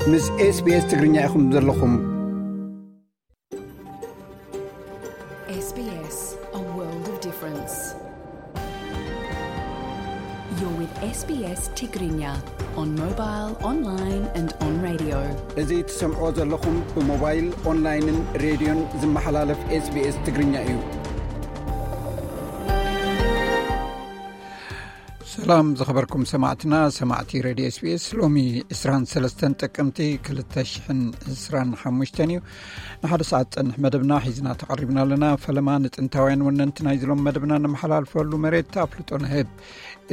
ምስ SBS ትግርኛ ኢኹም ዘለኹም። S B S, a world of difference. You're with S B S Tigrinya on mobile, online and on radio. እዚ ትሰምዕዎ ዘለኹም ብሞባይል፣ ኦንላይንን ሬድዮን ዝመሓላለፍ SBS ትግርኛ እዩ። ሰላም ዝኸበርኩም ሰማዕትና፣ ሰማዕቲ ሬድዮ SBS። ሎሚ ዕስራን ሰለስተን ጥቅምቲ ክልተ ሽሕን ዕስራን ሓሙሽተን እዩ። ንሓደ ሰዓት ጸንሕ መደብና ሒዝና ተቐሪብና ኣለና። ፈለማ ንጥንታውያን ወነንቲ ናይ ዝሎም መደብና ነመሓላልፈሉ መሬት ኣፍልጦ ንህብ።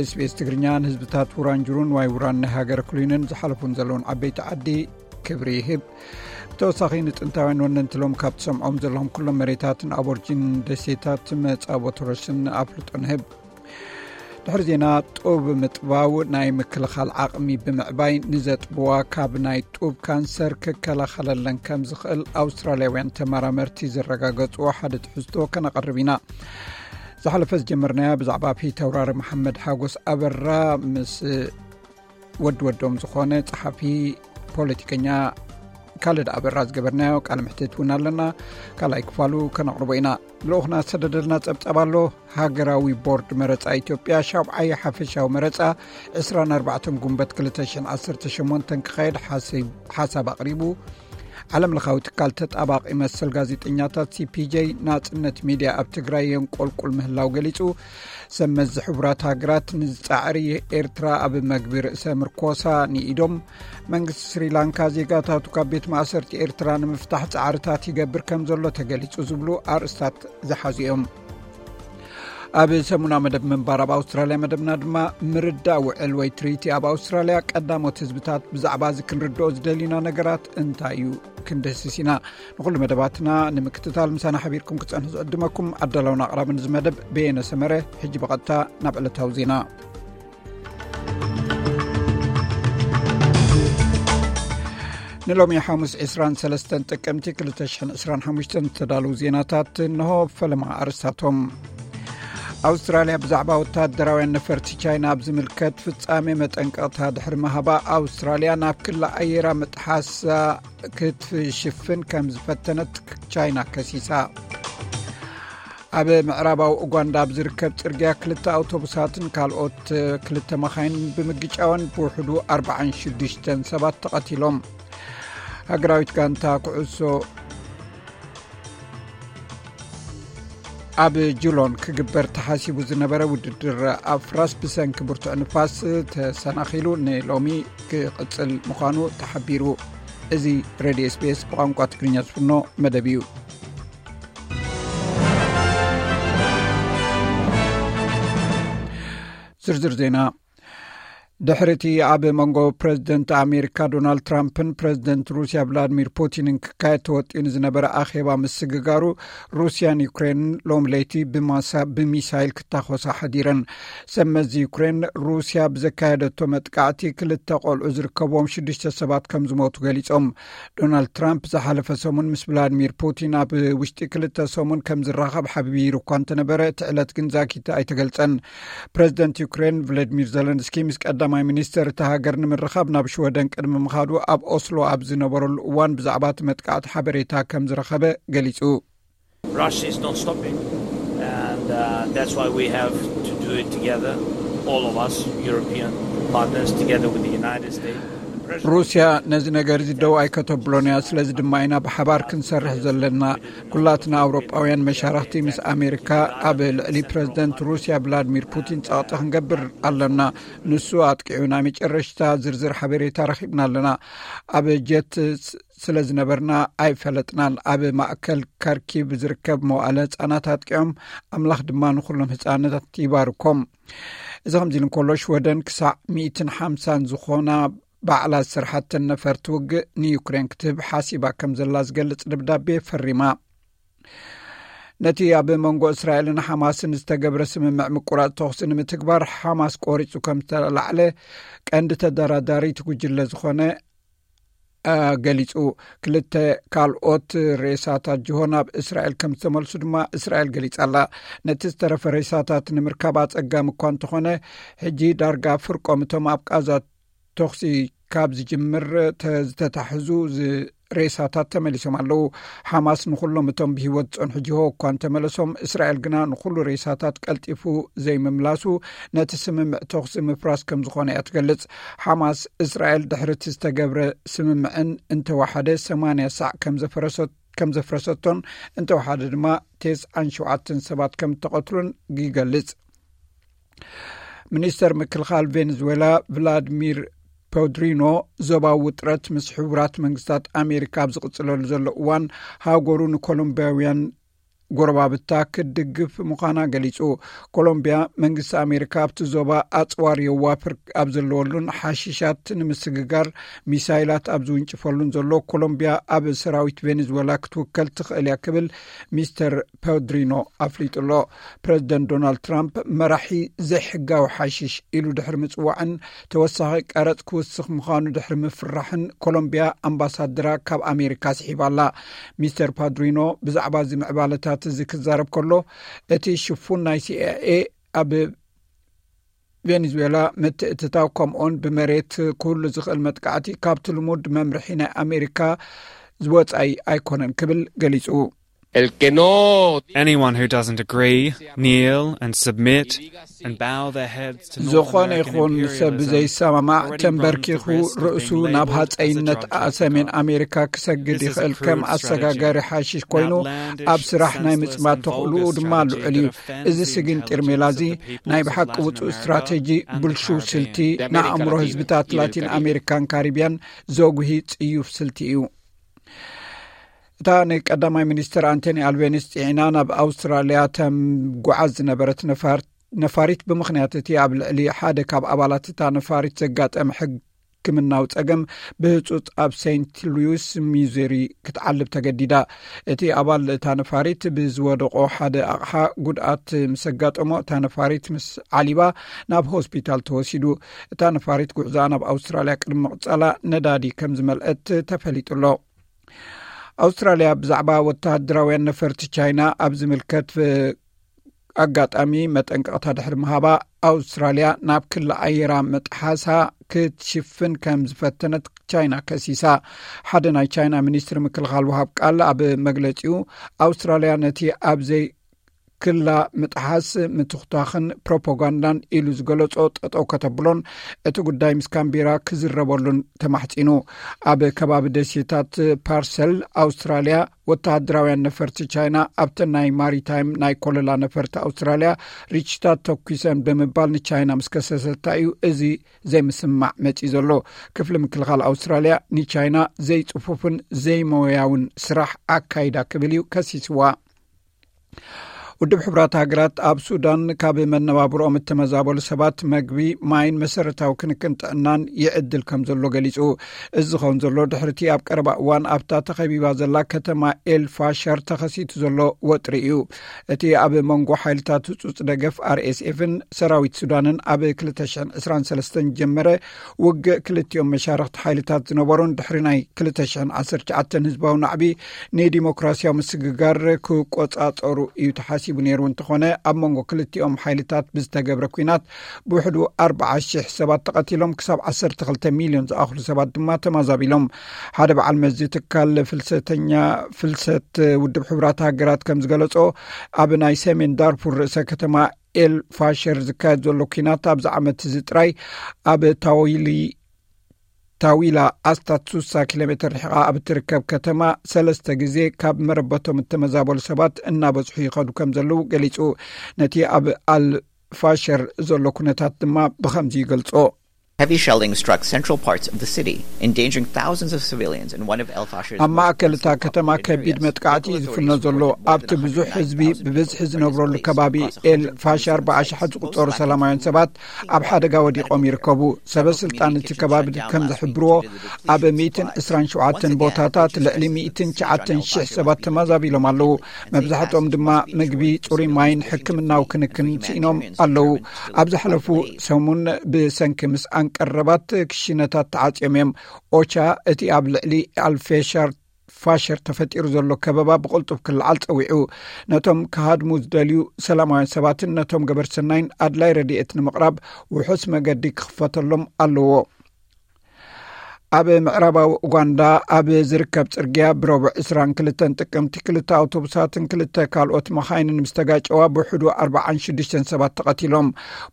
SBS ትግርኛ ንህዝብታት ውራንጅሩን ዋይ ውራን ናይ ሃገር ክሉይንን ዝሓለፉን ዘለውን ዓበይቲ ዓዲ ክብሪ ይህብ። ብተወሳኺ ንጥንታውያን ወነንቲ ሎም ካብ ትሰምዖም ዘለኹም ኩሎም መሬታትን ኣቦርጂን ደሴታት መጻቦ ቶረስን ኣፍልጦ ንህብ። ድሕሪ ዜና፣ ጡብ ምጥባው ናይ ምክልኻል ዓቕሚ ብምዕባይ ንዘጥብዋ ካብ ናይ ጡብ ካንሰር ክከላኸለለን ከም ዝኽእል ኣውስትራልያውያን ተመራመርቲ ዘረጋገጽዎ ሓደ ትሕዝቶ ከነቐርብ ኢና። ዝሓለፈ ዝጀመርናያ ብዛዕባ ፊተውራሪ መሓመድ ሓጎስ ኣበራ ምስ ወዲ ወዶም ዝኾነ ጸሓፊ ፖለቲከኛ ካልድ ኣበራ ዝገበርናዮ ቃለ ምሕትት እውን ኣለና። ካልኣይ ክፋሉ ከነቕርቦ ኢና። ልኡኽና ዝሰደደልና ጸብጻብ ኣሎ። ሃገራዊ ቦርድ መረጻ ኢትዮጵያ ሻብዓይ ሓፈሻዊ መረጻ ዕስራን ኣርባዕተን ጉንበት ክልተ ሽሕን ዓሰርተ ሸሞንተን ክኻየድ ሓሲብ-፣ ሓሳብ ኣቕሪቡ። ዓለም ለኻዊ ትካል ተጣባቂ መሰል ጋዜጠኛታት ሲ ፒ ጄ ናጽነት ሚድያ ኣብ ትግራይ የንቆልቁል ምህላው ገሊጹ። ሰብ መዚ ሕቡራት ሃገራት ንዝጻዕሪ ኤርትራ ኣብ መግቢ ርእሰ ምርኮሳ ንኢዶም። መንግስቲ ስሪላንካ ዜጋታቱ ካብ ቤት ማእሰርቲ ኤርትራ ንምፍታሕ ጻዕርታት ይገብር ከም ዘሎ ተገሊጹ ዝብሉ ኣርእስታት ዝሓዙ እዮም። ኣብ ሰሙና መደብ ምንባር ኣብ ኣውስትራልያ መደብና ድማ ምርዳእ ውዕል ወይ ትሪቲ ኣብ ኣውስትራልያ ቀዳሞት ህዝብታት ብዛዕባ እዚ ክንርድኦ ዝደልዩና ነገራት እንታይ እዩ ክንደስስ ኢና። ንኹሉ መደባትና ንምክትታል ምሳና ሓቢርኩም ክጸንሑ ዝዕድመኩም ኣዳላውን ኣቕራብን እዚ መደብ በየነ ሰመረ። ሕጂ ብቐጥታ ናብ ዕለታዊ ዜና። ንሎሚ ሓሙስ ዕስራን ሰለስተን ጥቅምቲ ክልተ ሽሕን ዕስራን ሓሙሽተን ዝተዳለዉ ዜናታት እንሆ። ፈለማ ኣርእስታቶም። ኣውስትራልያ ብዛዕባ ወታደራውያን ነፈርቲ ቻይና ኣብ ዝምልከት ፍጻሜ መጠንቀቕታ ድሕሪ ምሃባ፣ ኣውስትራልያ ናብ ክሊ ኣየራ ምጥሓሳ ክትሽፍን ከም ዝፈተነት ቻይና ከሲሳ። ኣብ ምዕራባዊ ኡጋንዳ ኣብ ዝርከብ ጽርግያ ክልተ ኣውቶቡሳትን ካልኦት ክልተ መኻይን ብምግጫወን ብውሕዱ ኣርባዓን ሽዱሽተን ሰባት ተቐቲሎም። ሃገራዊት ጋንታ ኩዕሶ ኣብ ጁሎን ክግበር ተሓሲቡ ዝነበረ ውድድር ኣፍራስ ብሰንኪ ብርቱዕ ንፋስ ተሰናኺሉ ንሎሚ ክቕጽል ምዃኑ ተሓቢሩ። እዚ ሬድዮ ኤስ ቢ ኤስ ብቋንቋ ትግርኛ ዝፍኖ መደብ እዩ። ዝርዝር ዜና። ድሕሪ እቲ ኣብ መንጎ ፕረዚደንት ኣሜሪካ ዶናልድ ትራምፕን ፕረዚደንት ሩስያ ቭላድሚር ፑቲንን ክካየድ ተወጢኑ ዝነበረ ኣኼባ ምስግጋሩ፣ ሩስያን ዩክሬንን ሎም ለይቲ ብማሳ-፣ ብሚሳይል ክታኾሳ ሓዲረን። ሰብ መዚ ዩክሬን፣ ሩስያ ብዘካየደቶ መጥቃዕቲ ክልተ ቆልዑ ዝርከብዎም ሽዱሽተ ሰባት ከም ዝሞቱ ገሊጾም። ዶናልድ ትራምፕ ዝሓለፈ ሰሙን ምስ ቭላድሚር ፑቲን ኣብ ውሽጢ ክልተ ሰሙን ከም ዝራኸብ ሓቢሩ እኳ እንተነበረ፣ እቲ ዕለት ግን ዛጊት ኣይተገልጸን። ፕረዚደንት ዩክሬን ቭሎዲሚር ዘለንስኪ ምስ ቀዳማይ ሚኒስተር እታ ሃገር ንምርኻብ ናብ ሽወደን ቅድሚ ምኻዱ፣ ኣብ ኦስሎ ኣብ ዝነበረሉ እዋን ብዛዕባ እቲ መጥቃዕቲ ሓበሬታ ከም ዝረኸበ ገሊጹ። Russia is not stopping, and uh, that's why we have to do it together, all of us, European partners, together with the United States. The pressure ሩስያ ነዚ ነገር እዚ ደው ኣይከተብሎን እያ። ስለዚ ድማ ኢና ብሓባር ክንሰርሕ ዘለና። ኩላትና ኣውሮጳውያን መሻርኽቲ ምስ ኣሜሪካ ኣብ ልዕሊ ፕረዚደንት ሩስያ ቭላድሚር ፑቲን ጸቕጢ ክንገብር ኣለና። ንሱ ኣጥቂዑ ናይ መጨረሽታ ዝርዝር ሓበሬታ ረኺብና ኣለና። ኣብ ጀት ስ-፣ ስለ ዝነበርና ኣይፈለጥናን። ኣብ ማእከል ካርኪቭ ዝርከብ መዋእለ ህጻናት ኣጥቂዖም፣ ኣምላኽ ድማ ንኹሎም ህጻናት ይባርኮም። እዚ ከምዚ ኢሉ እንከሎ፣ ሽወደን ክሳዕ ሚእትን ሓምሳን ዝኾና ባዕላ ዝሰርሓተን ነፈርቲ ውግእ ንዩክሬን ክትህብ ሓሲባ ከም ዘላ ዝገልጽ ደብዳቤ ፈሪማ። ነቲ ኣብ መንጎ እስራኤልን ሓማስን ዝተገብረ ስምምዕ ምቁራጽ ተኹሲ ንምትግባር፣ ሓማስ ቆሪጹ ከም ዝተላዕለ ቀንዲ ተደራዳሪ እቲ ጉጅለ ዝኾነ፣ አ፣ ገሊጹ። ክልተ ካልኦት ሬሳታት ጅሆ ናብ እስራኤል ከም ዝተመልሱ ድማ እስራኤል ገሊጻ ኣላ። ነቲ ዝተረፈ ሬሳታት ንምርካብ ኣጸጋሚ እኳ እንተኾነ፣ ሕጂ ዳርጋ ፍርቆም እቶም ኣብ ቃዛ ተኹሲ ካብ ዝጅምር ዝተታሕዙ ሬሳታት ተመሊሶም ኣለዉ። ሓማስ ንኹሎም እቶም ብህይወት ዝጸንሑ ጅሆ እኳ እንተመለሶም፣ እስራኤል ግና ንኹሉ ሬሳታት ቀልጢፉ ዘይምምላሱ ነቲ ስምምዕ ተኹሲ ምፍራስ ከም ዝኾነ እያ ትገልጽ። ሓማስ፣ እስራኤል ድሕሪ እቲ ዝተገብረ ስምምዕን እንተወሓደ ሰማንያ ሳዕ ከም ዘፈረሰት ከም ዘፍረሰቶን እንተወሓደ ድማ ተስዓን ሸውዓተን ሰባት ከም እተቐትሉን ይገልጽ። ሚኒስተር ምክልኻል ቬኔዙዌላ ቭላድሚር ፖድሪኖ፣ ዞባዊ ውጥረት ምስ ሕቡራት መንግስታት ኣሜሪካ ኣብ ዝቕጽለሉ ዘሎ እዋን፣ ሃገሩ ንኮሎምቢያውያን ጎረባብታ ክትድግፍ ምዃና ገሊጹ። ኮሎምቢያ፣ መንግስቲ ኣሜሪካ ኣብቲ ዞባ ኣጽዋር የዋፍር ኣብ ዘለወሉን ሓሽሻት ንምስግጋር ሚሳይላት ኣብ ዝውንጭፈሉን ዘሎ፣ ኮሎምቢያ ኣብ ሰራዊት ቬኔዙዌላ ክትውከል ትኽእል እያ ክብል ሚስተር ፖድሪኖ ኣፍሊጡ ኣሎ። ፕረዚደንት ዶናልድ ትራምፕ፣ መራሒ ዘይሕጋዊ ሓሽሽ ኢሉ ድሕሪ ምጽዋዕን ተወሳኺ ቀረጽ ክውስኽ ምዃኑ ድሕሪ ምፍራሕን፣ ኮሎምቢያ ኣምባሳደራ ካብ ኣሜሪካ ስሒባ ኣላ። ሚስተር ፓድሪኖ ብዛዕባ እዚ ምዕባለታት እዚ ክዛረብ ከሎ፣ እቲ ሽፉን ናይ ሲኣይኤ ኣብ ቬኔዙዌላ ምትእትታው፣ ከምኡውን ብመሬት ክህሉ ዝኽእል መጥቃዕቲ ካብቲ ልሙድ መምርሒ ናይ ኣሜሪካ ዝወጻኢ ኣይኮነን ክብል ገሊጹ። El que no Anyone who doesn't agree, kneel and submit and bow their heads to North ዝኾነ American ይኹን ሰብ imperialism ዘይሰማማዕ already ተንበርኪኹ runs the risk of ርእሱ being ናብ labeled as a ሃፀይነት drug trafficker. ሰሜን ኣሜሪካ ክሰግድ This is a ይኽእል ከም crude ኣሰጋጋሪ strategy, ሓሽሽ ኮይኑ an outlandish, ኣብ ስራሕ ናይ senseless, ምፅማት and ተኽእልኡ vulgar ድማ strategy ልዑል እዩ። that offends እዚ the ስግን intelligence ጢርሜላዚ of the peoples ናይ of ብሓቂ Latin ውፁእ America ስትራቴጂ and the ብልሹው Caribbean. ስልቲ De América ንኣእምሮ Latina ህዝብታት y del ላቲን Caribe. ኣሜሪካን ካሪቢያን ዘጉሂ ፅዩፍ ስልቲ እዩ። እታ ንቀዳማይ ሚኒስትር ኣንቶኒ ኣልቤኒስ ጽዒና ናብ ኣውስትራልያ ተምጉዓዝ ዝነበረት ነፋር- ነፋሪት፣ ብምኽንያት እቲ ኣብ ልዕሊ ሓደ ካብ ኣባላት እታ ነፋሪት ዘጋጠመ ሕክምናዊ ጸገም፣ ብህጹጽ ኣብ ሴንት ሉዊስ ሚዙሪ ክትዓልብ ተገዲዳ። እቲ ኣባል እታ ነፋሪት ብዝወደቆ ሓደ ኣቕሓ ጉድኣት ምስ ኣጋጠሞ፣ እታ ነፋሪት ምስ ዓሊባ ናብ ሆስፒታል ተወሲዱ። እታ ነፋሪት ጉዕዞኣ ናብ ኣውስትራልያ ቅድሚ ምቕጻላ ነዳዲ ከም ዝመልአት ተፈሊጡ ኣሎ። ኣውስትራልያ ብዛዕባ ወተሃደራውያን ነፈርቲ ቻይና ኣብ ዝምልከት ኣጋጣሚ መጠንቀቕታ ድሕሪ ምሃባ፣ ኣውስትራልያ ናብ ክሊ ኣየራ ምጥሓሳ ክትሽፍን ከም ዝፈተነት ቻይና ከሲሳ። ሓደ ናይ ቻይና ሚኒስትሪ ምክልኻል ወሃብ ቃል ኣብ መግለጺኡ፣ ኣውስትራልያ ነቲ ኣብ ዘይ ክላ ምጥሓስ ምትኹታኽን ፕሮፓጋንዳን ኢሉ ዝገለጾ ጠጠው ከተብሎን እቲ ጉዳይ ምስ ካምቤራ ክዝረበሉን ተማሕጺኑ። ኣብ ከባቢ ደሴታት ፓርሰል ኣውስትራልያ ወተሃደራውያን ነፈርቲ ቻይና ኣብተን ናይ ማሪታይም ናይ ኮለላ ነፈርቲ ኣውስትራልያ ሪችታት ተኩሰን ብምባል ንቻይና ምስ ከሰሰታ እዩ እዚ ዘይምስማዕ መጺኡ ዘሎ። ክፍሊ ምክልኻል ኣውስትራልያ ንቻይና ዘይጽፉፍን ዘይሞያውን ስራሕ ኣካይዳ ክብል እዩ ከሲስዋ። ውድብ ሕቡራት ሃገራት ኣብ ሱዳን ካብ መነባብሮኦም እተመዛበሉ ሰባት መግቢ፣ ማይን መሰረታዊ ክንክን ጥዕናን ይዕድል ከም ዘሎ ገሊጹ። እዚ ዝኸውን ዘሎ ድሕርቲ ኣብ ቀረባ እዋን ኣብታ ተኸቢባ ዘላ ከተማ ኤል ፋሸር ተኸሲቱ ዘሎ ወጥሪ እዩ። እቲ ኣብ መንጎ ሓይልታት ህጹጽ ደገፍ ኣር ኤስ ኤፍን ሰራዊት ሱዳንን ኣብ ክልተ ሽሕን ዕስራን ሰለስተን ዝጀመረ ውግእ፣ ክልቲኦም መሻርኽቲ ሓይልታት ዝነበሩን ድሕሪ ናይ ክልተ ሽሕን ዓሰርተ ትሽዓተን ህዝባዊ ናዕቢ ንዲሞክራሲያዊ ምስግጋር ክቆጻጸሩ እዩ ተሓሲቡ ነይሩ። እንተኾነ፣ ኣብ መንጎ ክልቲኦም ሓይልታት ብዝተገብረ ኲናት ብውሕዱ ኣርብዓ ሽሕ ሰባት ተቐቲሎም፣ ክሳብ ዓሰርተ ክልተ ሚልዮን ዝኣኽሉ ሰባት ድማ ተማዛቢሎም። ሓደ በዓል መዚ ትካል ፍልሰተኛ ፍልሰት ውድብ ሕቡራት ሃገራት ከም ዝገለጾ፣ ኣብ ናይ ሰሜን ዳርፉር ርእሰ ከተማ ኤል ፋሸር ዝካየድ ዘሎ ኲናት ኣብዚ ዓመት እዚ ጥራይ ኣብ ታዊሊ ታዊላ ኣስታት ስሳ ኪሎ ሜትር ርሒቓ ኣብ እትርከብ ከተማ ሰለስተ ግዜ ካብ መረበቶም እተመዛበሉ ሰባት እናበዝሑ ይኸዱ ከም ዘለዉ ገሊጹ። ነቲ ኣብ ኣል ፋሸር ዘሎ ኩነታት ድማ ብኸምዚ ይገልጾ። Heavy shelling struck central parts of the city, endangering thousands of civilians in one of El Fasher's ኣብ most ማእከል እታ densely ከተማ populated ከቢድ areas. መጥቃዕቲ Local ዝፍኖ authorities ዘሎ reported more ኣብቲ than ብዙሕ ህዝቢ one hundred ninety thousand ብብዝሒ people were ዝነብረሉ displaced ከባቢ across ኤል one hundred ፋሻር forty-seven ኣርባዓ ሺሕ sites. Most ዝቁጸሩ likely ሰላማውያን from ሰባት cities ኣብ with ሓደጋ lack of ወዲቖም food. ይርከቡ። Several ሰበ communities ስልጣን were እቲ shut ከባቢ down ከም last week ዝሕብርዎ፣ due to the ኣብ depletion ሚእትን supply. ዕስራን ሸውዓተን Once again, ቦታታት Haiti's ልዕሊ President ሚእትን Lucie ትሽዓተን Jean ሽሕ Elbashy ሰባት left the ተማዛቢሎም ኣለዉ። country and say መብዛሕትኦም Haiti's ድማ must be ምግቢ፣ restored to ጽሩይ its ማይን original ሕክምናዊ state. ክንክን Humanitarian ስኢኖም assistance ኣለዉ። remains still ኣብ ዝሓለፉ delayed. ሰሙን ብሰንኪ ምስኣን ቀረባት ክሽነታት ተዓጽዮም እዮም። ኦቻ፣ እቲ ኣብ ልዕሊ ኣልፌሻር ፋሸር ተፈጢሩ ዘሎ ከበባ ብቕልጡፍ ክለዓል ጸዊዑ፣ ነቶም ክሃድሙ ዝደልዩ ሰላማውያን ሰባትን ነቶም ገበርቲ ሰናይን ኣድላይ ረድኤት ንምቕራብ ውሑስ መገዲ ክኽፈተሎም ኣለዎ። ኣብ ምዕራባዊ ኡጋንዳ ኣብ ዝርከብ ጽርግያ ብረቡዕ ዕስራን ክልተን ጥቅምቲ ክልተ ኣውቶቡሳትን ክልተ ካልኦት መኻይንን ምስ ተጋጨዋ ብውሕዱ ኣርባዓን ሽዱሽተን ሰባት ተቐቲሎም።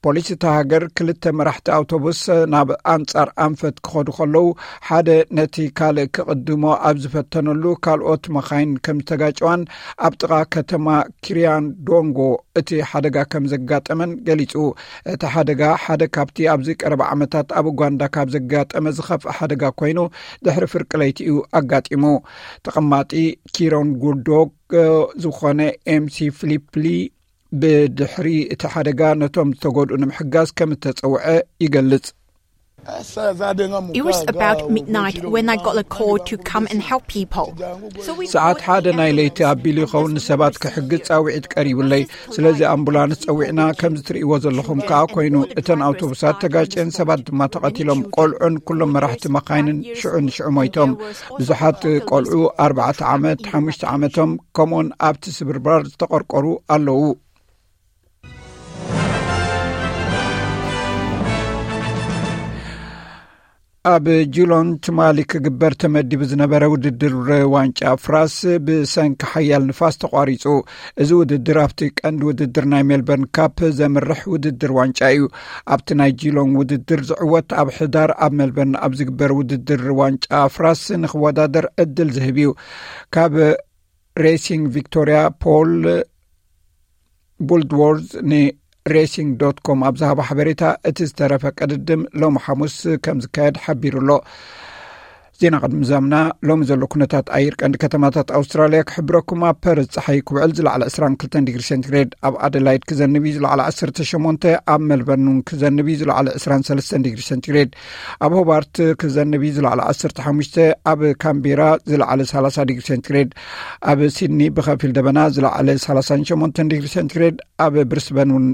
ፖሊስ እታ ሃገር ክልተ መራሕቲ ኣውቶቡስ ናብ ኣንጻር ኣንፈት ክኸዱ ከለዉ ሓደ ነቲ ካልእ ክቕድሞ ኣብ ዝፈተነሉ ካልኦት መኻይን ከም ዝተጋጨዋን ኣብ ጥቓ ከተማ ኪሪያንዶንጎ እቲ ሓደጋ ከም ዘጋጠመን ገሊጹ። እቲ ሓደጋ ሓደ ካብቲ ኣብዚ ቀረባ ዓመታት ኣብ ኡጋንዳ ካብ ዘጋጠመ ዝኸፍእ ሓደጋ ኮይኑ ድሕሪ ፍርቂ ለይቲ እዩ ኣጋጢሙ። ተቐማጢ ኪሮን ጉልዶግ ዝኾነ ኤምሲ ፍሊፕሊ ብድሕሪ እቲ ሓደጋ ነቶም ዝተጎድኡ ንምሕጋዝ ከም እተጸውዐ ይገልጽ። It was about midnight when I got a call to come and help people. So we ሰዓት ሓደ ናይ ለይቲ ኣቢሉ ይኸውን ንሰባት ክሕግዝ ጻውዒት ቀሪቡለይ። ስለዚ ኣምቡላንስ ጸዊዕና፣ ከምዚ ትርእይዎ ዘለኹም ከኣ ኮይኑ። እተን ኣውቶቡሳት ተጋጭየን፣ ሰባት ድማ ተቐቲሎም። ቆልዑን ኩሎም መራሕቲ መኻይንን ሽዑ ንሽዑ ሞይቶም። ብዙሓት ቆልዑ ኣርባዕተ ዓመት፣ ሓሙሽተ ዓመቶም፣ ከምኡውን ኣብቲ ስብርባር ዝተቐርቀሩ ኣለዉ። ኣብ ጁሎን ትማሊ ክግበር ተመዲቡ ዝነበረ ውድድር ዋንጫ ፍራስ ብሰንኪ ሓያል ንፋስ ተቋሪጹ። እዚ ውድድር ኣብቲ ቀንዲ ውድድር ናይ ሜልበርን ካፕ ዘምርሕ ውድድር ዋንጫ እዩ። ኣብቲ ናይ ጁሎን ውድድር ዝዕወት ኣብ ሕዳር ኣብ ሜልበርን ኣብ ዝግበር ውድድር ዋንጫ ፍራስ ንክወዳደር ዕድል ዝህብ እዩ። ካብ ሬሲንግ ቪክቶሪያ ፖል ቡልድዎርዝ ንሬሲንግ ዶት ኮም ኣብ ዝሃቦ ሓበሬታ፣ እቲ ዝተረፈ ቅድድም ሎሚ ሓሙስ ከም ዝካየድ ሓቢሩ ኣሎ። ዜና ቅድሚ ዛምና ሎሚ ዘሎ ኩነታት ኣየር ቀንዲ ከተማታት ኣውስትራልያ ክሕብረኩም። ኣብ ፐርዝ ጸሓይ ክውዕል ዝለዓለ ዕስራን ክልተን ዲግሪ ሴንቲግሬድ፣ ኣብ ኣደላይድ ክዘንብ እዩ ዝለዓለ ዓሰርተ ሸሞንተ፣ ኣብ ሜልበርን እውን ክዘንብ እዩ ዝለዓለ ዕስራን ሰለስተን ዲግሪ ሴንቲግሬድ፣ ኣብ ሆባርት ክዘንብ እዩ ዝለዓለ ዓሰርተ ሓሙሽተ፣ ኣብ ካምቤራ ዝለዓለ ሰላሳ ዲግሪ ሴንቲግሬድ፣ ኣብ ሲድኒ ብኸፊል ደበና ዝለዓለ ሰላሳን ሸሞንተን ዲግሪ ሴንቲግሬድ፣ ኣብ ብሪስበን እውን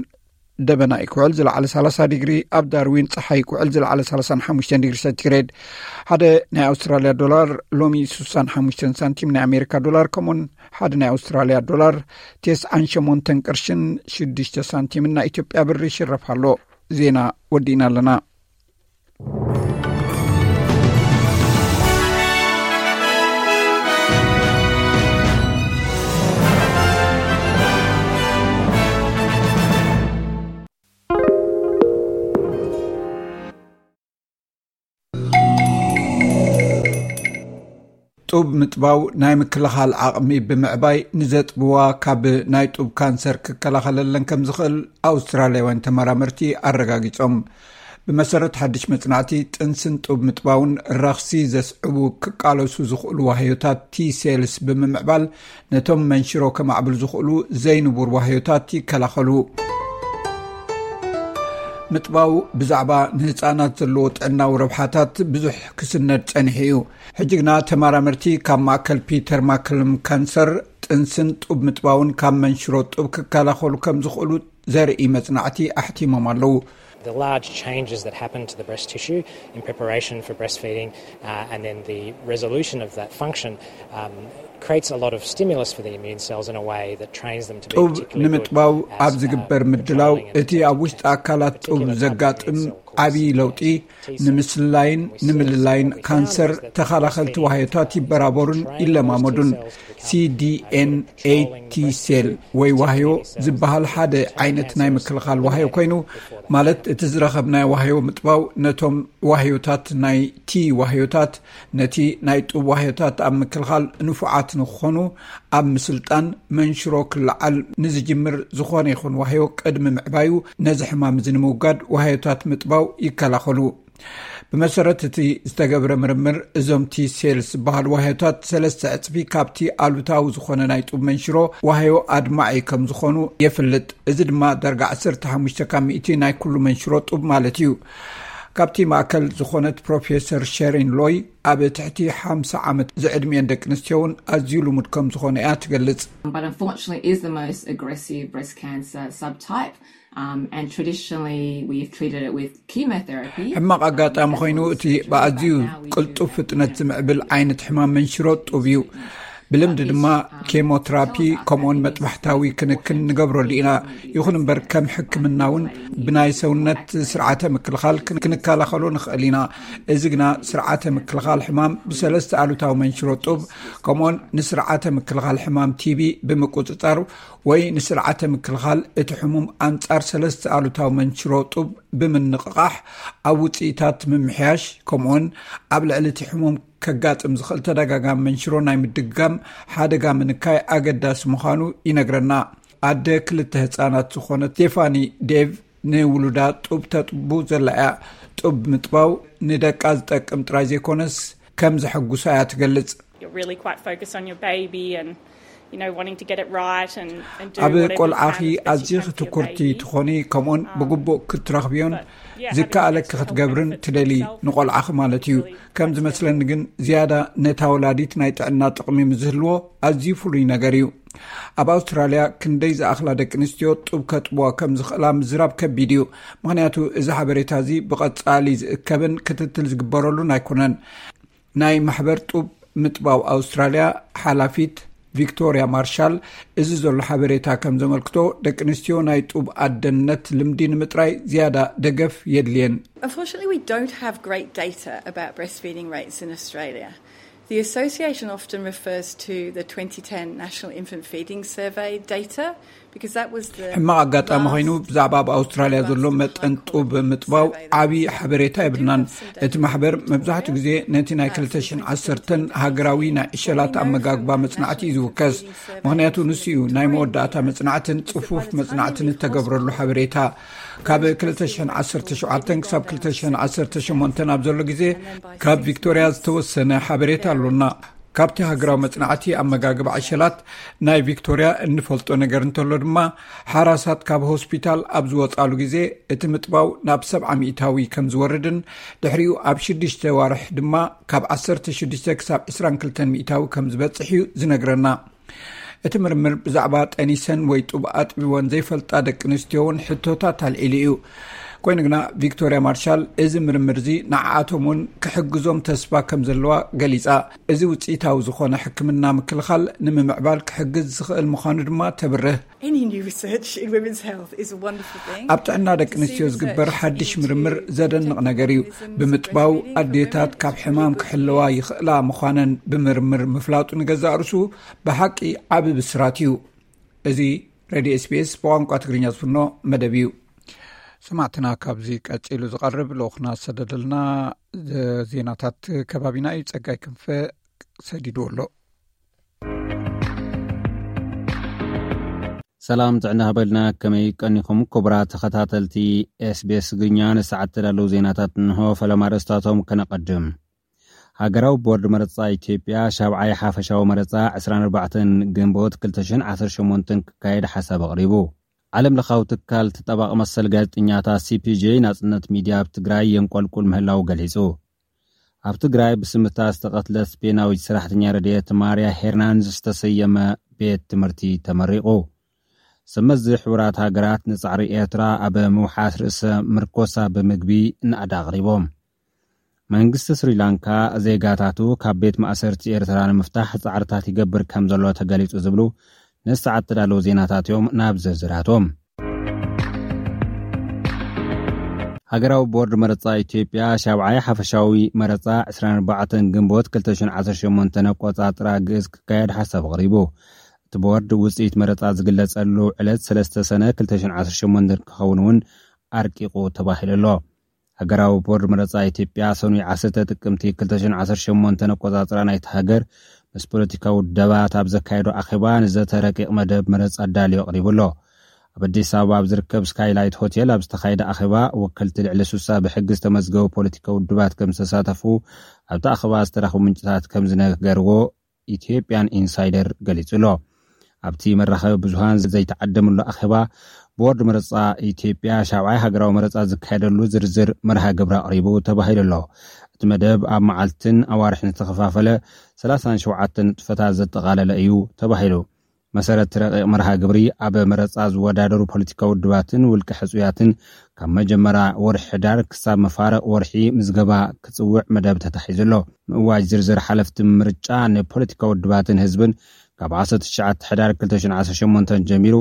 ደበና እዩ ክውዕል ዝለዓለ ሰላሳ ዲግሪ፣ ኣብ ዳርዊን ጸሓይ ክውዕል ዝለዓለ ሰላሳን ሓሙሽተን ዲግሪ ሴንቲግሬድ። ሓደ ናይ ኣውስትራልያ ዶላር ሎሚ ስሳን ሓሙሽተን ሳንቲም ናይ ኣሜሪካ ዶላር፣ ከምኡውን ሓደ ናይ ኣውስትራልያ ዶላር ተስዓን ሸሞንተን ቅርሽን ሽዱሽተ ሳንቲምን ናይ ኢትዮጵያ ብር ይሽረፍ ኣሎ። ዜና ወዲእና ኣለና። ጡብ ምጥባው ናይ ምክልኻል ዓቕሚ ብምዕባይ፣ ንዘጥብዋ ካብ ናይ ጡብ ካንሰር ክከላኸለለን ከም ዝኽእል ኣውስትራልያውያን ተመራመርቲ ኣረጋጊጾም። ብመሰረት ሓድሽ መጽናዕቲ፣ ጥንስን ጡብ ምጥባውን ረኽሲ ዘስዕቡ ክቃለሱ ዝኽእሉ ዋህዮታት ቲ ሴልስ ብምምዕባል፣ ነቶም መንሽሮ ከማዕብል ዝኽእሉ ዘይንቡር ዋህዮታት ይከላኸሉ። ምጥባው ብዛዕባ ንህፃናት ዘለዎ ጥዕናዊ ረብሓታት ብዙሕ ክስነድ ጸኒሑ እዩ። ሕጂ ግና ተመራመርቲ ካብ ማእከል ፒተር ማክለም ካንሰር፣ ጥንስን ጡብ ምጥባውን ካብ መንሽሮ ጡብ ክከላኸሉ ከም ዝኽእሉ ዘርኢ መጽናዕቲ ኣሕቲሞም ኣለዉ። The large changes that happen to the breast tissue in preparation for breastfeeding, uh, and then the resolution of that function, um, creates a lot of stimulus for the immune cells in a way that trains them to be ጡብ particularly good ንምጥባው at, ኣብ uh, ዝግበር ምድላው፣ controlling and እቲ ኣብ ውሽጢ ኣካላት ጡብ ዘጋጥም ዓብዪ ለውጢ፣ ንምስላይን ንምልላይን ካንሰር ተኸላኸልቲ ዋህዮታት ይበራበሩን ይለማመዱን። ሲዲኤንኤ ቲ ሴል ወይ ዋህዮ ዝበሃል ሓደ ዓይነት ናይ ምክልኻል ዋህዮ ኮይኑ፣ ማለት እቲ ዝረኸብናዮ ዋህዮ ምጥባው ነቶም ዋህዮታት ናይ ቲ ዋህዮታት፣ ነቲ ናይ ጡብ ዋህዮታት ኣብ ምክልኻል ንፉዓት ንክኾኑ ኣብ ምስልጣን፣ መንሽሮ ክለዓል ንዝጅምር ዝኾነ ይኹን ዋህዮ ቅድሚ ምዕባዩ ነዚ ሕማም እዚ ንምውጋድ ዋህዮታት ምጥባው ይከላኸሉ። ብመሰረት እቲ ዝተገብረ ምርምር፣ እዞም ቲ ሴልስ ዝበሃሉ ዋህዮታት ሰለስተ ዕጽፊ ካብቲ ኣሉታዊ ዝኾነ ናይ ጡብ መንሽሮ ዋህዮ ኣድማዒ ከም ዝኾኑ የፍልጥ። እዚ ድማ ዳርጋ ዓሰርተ ሓሙሽተ ካብ ሚእቲ ናይ ኩሉ መንሽሮ ጡብ ማለት እዩ። ካብቲ ማእከል ዝኾነት ፕሮፌሰር ሸሪን ሎይ፣ ኣብ ትሕቲ ሓምሳ ዓመት ዝዕድሚኤን ደቂ ኣንስትዮ እውን ኣዝዩ ልሙድ ከም ዝኾነ እያ ትገልጽ። But unfortunately is the most aggressive breast cancer subtype. Um, and traditionally we've treated it with chemotherapy. ሕማቕ ኣጋጣሚ ኮይኑ፣ እቲ ብኣዝዩ ቅልጡፍ ፍጥነት ዝምዕብል ዓይነት ሕማም መንሽሮ ጡብ እዩ። ብልምዲ ድማ ኬሞትራፒ ከምኡውን መጥባሕታዊ ክንክን ንገብረሉ ኢና። ይኹን እምበር ከም ሕክምና እውን ብናይ ሰውነት ስርዓተ ምክልኻል ክን- ክንከላኸሎ ንኽእል ኢና። እዚ ግና ስርዓተ ምክልኻል ሕማም ብሰለስተ ኣሉታዊ መንሽሮ ጡብ ከምኡውን ንስርዓተ ምክልኻል ሕማም ቲቢ ብምቁፅፃር ወይ ንስርዓተ ምክልኻል እቲ ሕሙም ኣንጻር ሰለስተ ኣሉታዊ መንሽሮ ጡብ ብምንቕቓሕ ኣብ ውፅኢታት ምምሕያሽ ከምኡውን ኣብ ልዕሊ እቲ ሕሙም ከጋጥም ዝኽእል ተደጋጋሚ መንሽሮ ናይ ምድግጋም ሓደጋ ምንካይ ኣገዳሲ ምዃኑ ይነግረና። ኣደ ክልተ ህፃናት ዝኾነት ስቴፋኒ ዴቭ ንውሉዳ ጡብ ተጥቡ ዘላ እያ። ጡብ ምጥባው ንደቃ ዝጠቅም ጥራይ ዘይኮነስ ከም ዘሐጉሳ እያ ትገልጽ። You're really quite focused on your baby and you know wanting to get it right and, and do ኣብ whatever you ቆልዓኺ can as best you ኣዝኺ can for your ትኩርቲ baby. ትኾኒ ከምኡውን ብግቡእ ክትረኽብዮን But, yeah, having ዝከኣለኪ extra help ክትገብርን and fit ትደሊ yourself ንቆልዓኺ ማለት እዩ። really ከም much ዝመስለኒ ግን ዝያዳ ነታ ወላዲት ናይ ጥዕና ጥቕሚ ምዝህልዎ ኣዝዩ ፍሉይ ነገር እዩ። ኣብ ኣውስትራልያ ክንደይ ዝኣኽላ ደቂ ኣንስትዮ ጡብ ከጥብዋ ከም ዝኽእላ ምዝራብ ከቢድ እዩ። ምኽንያቱ እዚ ሓበሬታ እዚ ብቐጻሊ ዝእከብን ክትትል ዝግበረሉን ኣይኮነን። ናይ ማሕበር ጡብ ምጥባው ኣውስትራልያ ሓላፊት ቪክቶርያ ማርሻል፣ እዚ ዘሎ ሓበሬታ ከም ዘመልክቶ ደቂ ኣንስትዮ ናይ ጡብ ኣደነት ልምዲ ንምጥራይ ዝያዳ ደገፍ የድልየን። Unfortunately, we don't have great data about breastfeeding rates in Australia. The association often refers to the twenty ten National Infant Feeding Survey data because that was the ሕማቕ ኣጋጣሚ ኮይኑ ብዛዕባ ኣብ ኣውስትራልያ ዘሎ መጠን ጡብ ምጥባው ዓብዪ ሓበሬታ የብልናን። እቲ ማሕበር መብዛሕትኡ ግዜ ነቲ ናይ ክልተ ሽሕን ዓሰርተን ሃገራዊ ናይ ዕሸላት ኣመጋግባ መጽናዕቲ እዩ ዝውከስ። ምኽንያቱ ንሱ እዩ ናይ መወዳእታ መጽናዕትን ጽፉፍ መጽናዕትን እተገብረሉ ሓበሬታ። ካብ ክልተ ሽሕን ዓሰርተ ሸውዓተን ክሳብ ክልተ ሽሕን ዓሰርተ ሸሞንተን ኣብ ዘሎ ግዜ ካብ ቪክቶርያ ዝተወሰነ ሓበሬታ ኣሎና። ካብቲ ሃገራዊ መጽናዕቲ ኣመጋግባ ዕሸላት ናይ ቪክቶርያ እንፈልጦ ነገር እንተሎ ድማ ሓራሳት ካብ ሆስፒታል ኣብ ዝወጻሉ ግዜ እቲ ምጥባው ናብ ሰብዓ ሚእታዊ ከም ዝወርድን ድሕሪኡ ኣብ ሽዱሽተ ዋርሕ ድማ ካብ ዓሰርተ ሽዱሽተ ክሳብ ዕስራን ክልተን ሚእታዊ ከም ዝበጽሕ እዩ ዝነግረና። እቲ ምርምር ብዛዕባ ጠኒሰን ወይ ጡብ ኣጥቢወን ዘይፈልጣ ደቂ ኣንስትዮ እውን ሕቶታት ኣልዒሉ እዩ። ኮይኑ ግና ቪክቶርያ ማርሻል እዚ ምርምር እዚ ንዓኣቶም እውን ክሕግዞም ተስፋ ከም ዘለዋ ገሊጻ። እዚ ውፅኢታዊ ዝኾነ ሕክምና ምክልኻል ንምምዕባል ክሕግዝ ዝኽእል ምዃኑ ድማ ተብርህ። Any new research in women's health is a wonderful thing. ኣብ ጥዕና ደቂ ኣንስትዮ ዝግበር ሓድሽ ምርምር ዘደንቕ ነገር እዩ። ብምጥባው ኣዴታት ካብ ሕማም ክሕለዋ ይኽእላ ምዃነን ብምርምር ምፍላጡ ንገዛእ ርእሱ ብሓቂ ዓቢ ብስራት እዩ። እዚ ሬድዮ ኤስቢኤስ ብቋንቋ ትግርኛ ዝፍኖ መደብ እዩ። ሰማዕትና፣ ካብዚ ቀጺሉ ዝቐርብ ልኡኽና ዝሰደደልና ዜናታት ከባቢና እዩ። ጸጋይ ክንፈ ሰዲድዎ ኣሎ። ሰላም ጥዕና ሃበልና። ከመይ ቀኒኹም ክቡራት ተኸታተልቲ ኤስቢኤስ ትግርኛ? ንሰዓት ተዳለዉ ዜናታት እንሆ። ፈለማ ርእስታቶም ከነቐድም። ሃገራዊ ቦርድ መረጻ ኢትዮጵያ ሻብዓይ ሓፈሻዊ መረጻ ዕስራን ኣርባዕተን ግንቦት ክልተ ሽሕን ዓሰርተ ሸሞንተን ክካየድ ሓሳብ ኣቕሪቡ። ዓለም ለኻዊ ትካል ተጣባቒ መሰል ጋዜጠኛታት ሲፒጄ ናጽነት ሚድያ ኣብ ትግራይ የንቆልቁል ምህላው ገሊጹ። ኣብ ትግራይ ብስምታ ዝተቐትለት ስፔናዊት ሰራሕተኛ ረድኤት ማርያ ሄርናንዝ ዝተሰየመ ቤት ትምህርቲ ተመሪቑ። ሰመዚ ሕቡራት ሃገራት ንጻዕሪ ኤርትራ ኣብ ምውሓስ ርእሰ ምርኮሳ ብምግቢ ናእዳ ኣቕሪቦም። መንግስቲ ስሪላንካ ዜጋታቱ ካብ ቤት ማእሰርቲ ኤርትራ ንምፍታሕ ጻዕርታት ይገብር ከም ዘሎ ተገሊጹ ዝብሉ ንሰዓት ተዳለዉ ዜናታት እዮም። ናብ ዝርዝራቶም። ሃገራዊ ቦርድ መረጻ ኢትዮጵያ ሻብዓይ ሓፈሻዊ መረጻ ዕስራን ኣርባዕተን ግንቦት ክልተ ሽሕን ዓሰርተ ሸሞንተን ኣቆጻጽራ ግእዝ ክካየድ ሓሳብ ኣቕሪቡ። እቲ ቦርድ ውጽኢት መረጻ ዝግለጸሉ ዕለት ሰለስተ ሰነ ክልተ ሽሕን ዓሰርተ ሸሞንተን ክኸውን እውን ኣርቂቑ ተባሂሉ ኣሎ። ሃገራዊ ቦርድ መረጻ ኢትዮጵያ ሰኑይ ዓሰርተ ጥቅምቲ ክልተ ሽሕን ዓሰርተ ሸሞንተን ኣቆጻጽራ ናይቲ ሃገር ምስ ፖለቲካዊ ውደባት ኣብ ዘካየዶ ኣኼባ ንዘተ ረቂቕ መደብ መረጻ ኣዳልዩ ኣቕሪቡ ኣሎ። ኣብ ኣዲስ ኣበባ ኣብ ዝርከብ ስካይላይት ሆቴል ኣብ ዝተኻየደ ኣኼባ ወከልቲ ልዕሊ ሱሳ ብሕጊ ዝተመዝገቡ ፖለቲካዊ ውድባት ከም ዝተሳተፉ ኣብቲ ኣኼባ ዝተረኽቡ ምንጭታት ከም ዝነገርዎ ኢትዮጵያን ኢንሳይደር ገሊጹ ኣሎ። ኣብቲ መራኸቢ ብዙሃን ዘይተዓደምሉ ኣኼባ ቦርድ መረጻ ኢትዮጵያ ሻብዓይ ሃገራዊ መረጻ ዝካየደሉ ዝርዝር መርሃ ግብሪ ኣቕሪቡ ተባሂሉ ኣሎ። እቲ መደብ ኣብ መዓልትን ኣዋርሕን ዝተኸፋፈለ ሰላሳን ሸውዓተን ንጥፈታት ዘጠቓለለ እዩ ተባሂሉ። መሰረት ረቂቕ መርሃ ግብሪ፣ ኣብ መረፃ ዝወዳደሩ ፖለቲካዊ ውድባትን ውልቀ ሕፁያትን ካብ መጀመርያ ወርሒ ሕዳር ክሳብ መፋረቕ ወርሒ ምዝገባ ክፅውዕ መደብ ተታሒዙ ኣሎ። ምእዋጅ ዝርዝር ሓለፍቲ ምርጫ ንፖለቲካዊ ውድባትን ህዝብን ካብ ዓሰርተ ትሽዓተ ሕዳር ክልተ ሽሕን ዓሰርተ ሸሞንተን ጀሚሩ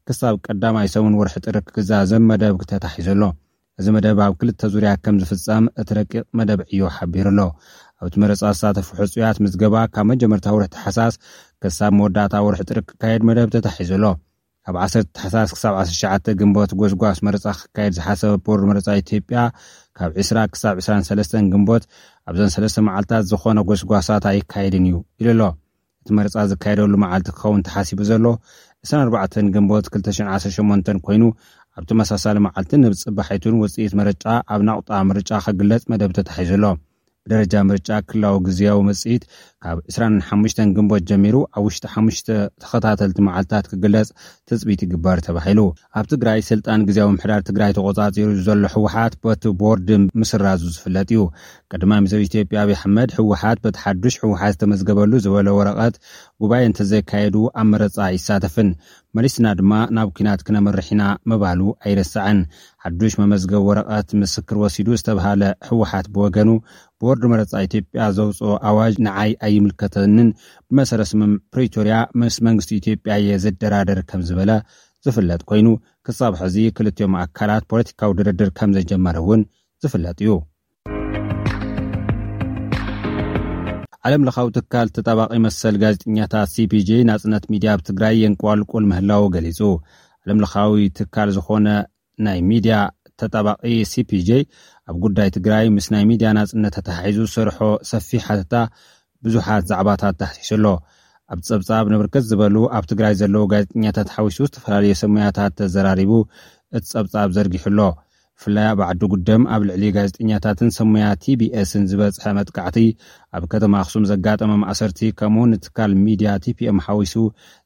ክሳብ ቀዳማይ ሰሙን ወርሒ ጥሪ ክዛዘም መደብ ተታሒዙ ኣሎ። እዚ መደብ ኣብ ክልተ ዙርያ ከም ዝፍጸም እቲ ረቂቕ መደብ ዕዮ ሓቢሩ ኣሎ። ኣብቲ መረጻ ዝሳተፉ ሕጹያት ምዝገባ ካብ መጀመርታ ወርሒ ታሕሳስ ክሳብ መወዳእታ ወርሒ ጥሪ ክካየድ መደብ ተታሒዙ ኣሎ። ካብ ዓሰርተ ታሕሳስ ክሳብ ዓሰርተ ትሽዓተ ግንቦት ጎስጓስ መረጻ ክካየድ ዝሓሰበ ቦርድ መረጻ ኢትዮጵያ፣ ካብ ዕስራ ክሳብ ዕስራን ሰለስተን ግንቦት ኣብዘን ሰለስተ መዓልታት ዝኾነ ጎስጓሳት ኣይካየድን እዩ ኢሉ ኣሎ። እቲ መረጻ ዝካየደሉ መዓልቲ ክኸውን ተሓሲቡ ዘሎ ዕስራን ኣርባዕተን ግንቦት ክልተ ሽሕን ዓሰርተ ሸሞንተን ኮይኑ፣ ኣብ ተመሳሳሊ መዓልቲ ንጽባሒቱን ውጽኢት መረጫ ኣብ ናቑጣ ምርጫ ክግለጽ መደብ ተታሒዙ ኣሎ። ብደረጃ ምርጫ ክልላዊ ግዝያዊ ውጽኢት ካብ ዕስራን ሓሙሽተን ግንቦት ጀሚሩ ኣብ ውሽጢ ሓሙሽተ ተኸታተልቲ መዓልታት ክግለጽ ትጽቢት ይግበር ተባሂሉ። ኣብ ትግራይ ስልጣን ግዝያዊ ምምሕዳር ትግራይ ተቖጻጺሩ ዘሎ ህወሓት በቲ ቦርድ ምስራዙ ዝፍለጥ እዩ። ቀዳማይ ሚኒስትር ኢትዮጵያ ኣብይ ኣሕመድ ህወሓት በቲ ሓዱሽ ህወሓት ዝተመዝገበሉ ዝበለ ወረቐት ጉባኤ እንተዘይካየዱ ኣብ መረጻ ኣይሳተፍን፣ መሊስና ድማ ናብ ኲናት ክነምርሕ ኢና ምባሉ ኣይረሳዕን። ሓዱሽ መመዝገቢ ወረቐት ምስክር ወሲዱ ዝተብሃለ ህወሓት ብወገኑ፣ ቦርድ መረጻ ኢትዮጵያ ዘውፅኦ ኣዋጅ ንዓይ ኣይምልከተንን፣ ብመሰረት ስምምዕ ፕሪቶርያ ምስ መንግስቲ ኢትዮጵያ እየ ዝደራደር ከም ዝበለ ዝፍለጥ ኮይኑ፣ ክሳብ ሕዚ ክልቲኦም ኣካላት ፖለቲካዊ ድርድር ከም ዘጀመረ እውን ዝፍለጥ እዩ። ዓለም ለኻዊ ትካል ተጣባቂ መሰል ጋዜጠኛታት ሲ ፒ ጄ ናጽነት ሚድያ ኣብ ትግራይ የንቋልቁል ምህላው ገሊጹ። ዓለም ለኻዊ ትካል ዝኾነ ናይ ሚድያ ተጣባቂ ሲ ፒ ጄ ኣብ ጉዳይ ትግራይ ምስ ናይ ሚድያ ናጽነት ተተሓሒዙ ዝሰርሖ ሰፊሕ ሓተታ ብዙሓት ዛዕባታት ዳህሲሱ ኣሎ። ኣብ ጸብጻብ ንብርክት ዝበሉ ኣብ ትግራይ ዘለዉ ጋዜጠኛታት ሓዊሱ ዝተፈላለዩ ሰሙያታት ተዘራሪቡ እቲ ጸብጻብ ዘርጊሑ ኣሎ። ብፍላይ ኣብ ዓዲ ጉደም ኣብ ልዕሊ ጋዜጠኛታትን ሰሙያ ቲ ቢ ኤስን ዝበጽሐ መጥቃዕቲ፣ ኣብ ከተማ ኣኽሱም ዘጋጠመ ማእሰርቲ፣ ከምኡ ንትካል ሚድያ ቲ ፒ ኤም ሓዊሱ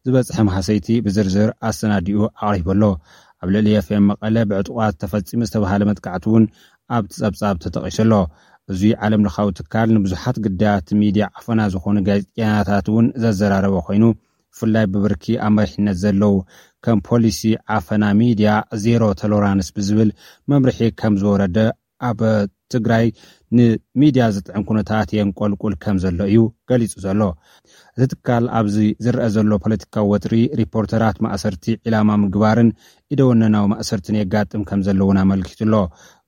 ዝበጽሐ ማህሰይቲ ብዝርዝር ኣሰናዲኡ ኣቕሪቡ ኣሎ። ኣብ ልዕሊ ኤፍ ኤም መቐለ ብዕጡቓት ተፈጺሙ ዝተባህለ መጥቃዕቲ እውን ኣብቲ ጸብጻብ ተጠቒሱ ኣሎ። እዚ ዓለም ለኻዊ ትካል ንብዙሓት ግዳያት ሚድያ ዓፈና ዝኾኑ ጋዜጠኛታት እውን ዘዘራረበ ኮይኑ፣ ብፍላይ ብብርኪ ኣብ መሪሕነት ዘለዉ ከም ፖሊሲ ዓፈና ሚድያ ዜሮ ቶለራንስ ብዝብል መምርሒ ከም ዝወረደ ኣብ ትግራይ ንሚድያ ዝጥዕም ኩነታት የንቆልቁል ከም ዘሎ እዩ ገሊጹ ዘሎ። እቲ ትካል ኣብዚ ዝረአ ዘሎ ፖለቲካዊ ወጥሪ ሪፖርተራት ማእሰርቲ ዒላማ ምግባርን ኢደወነናዊ ማእሰርትን የጋጥም ከም ዘሎ እውን ኣመልኪቱ ኣሎ።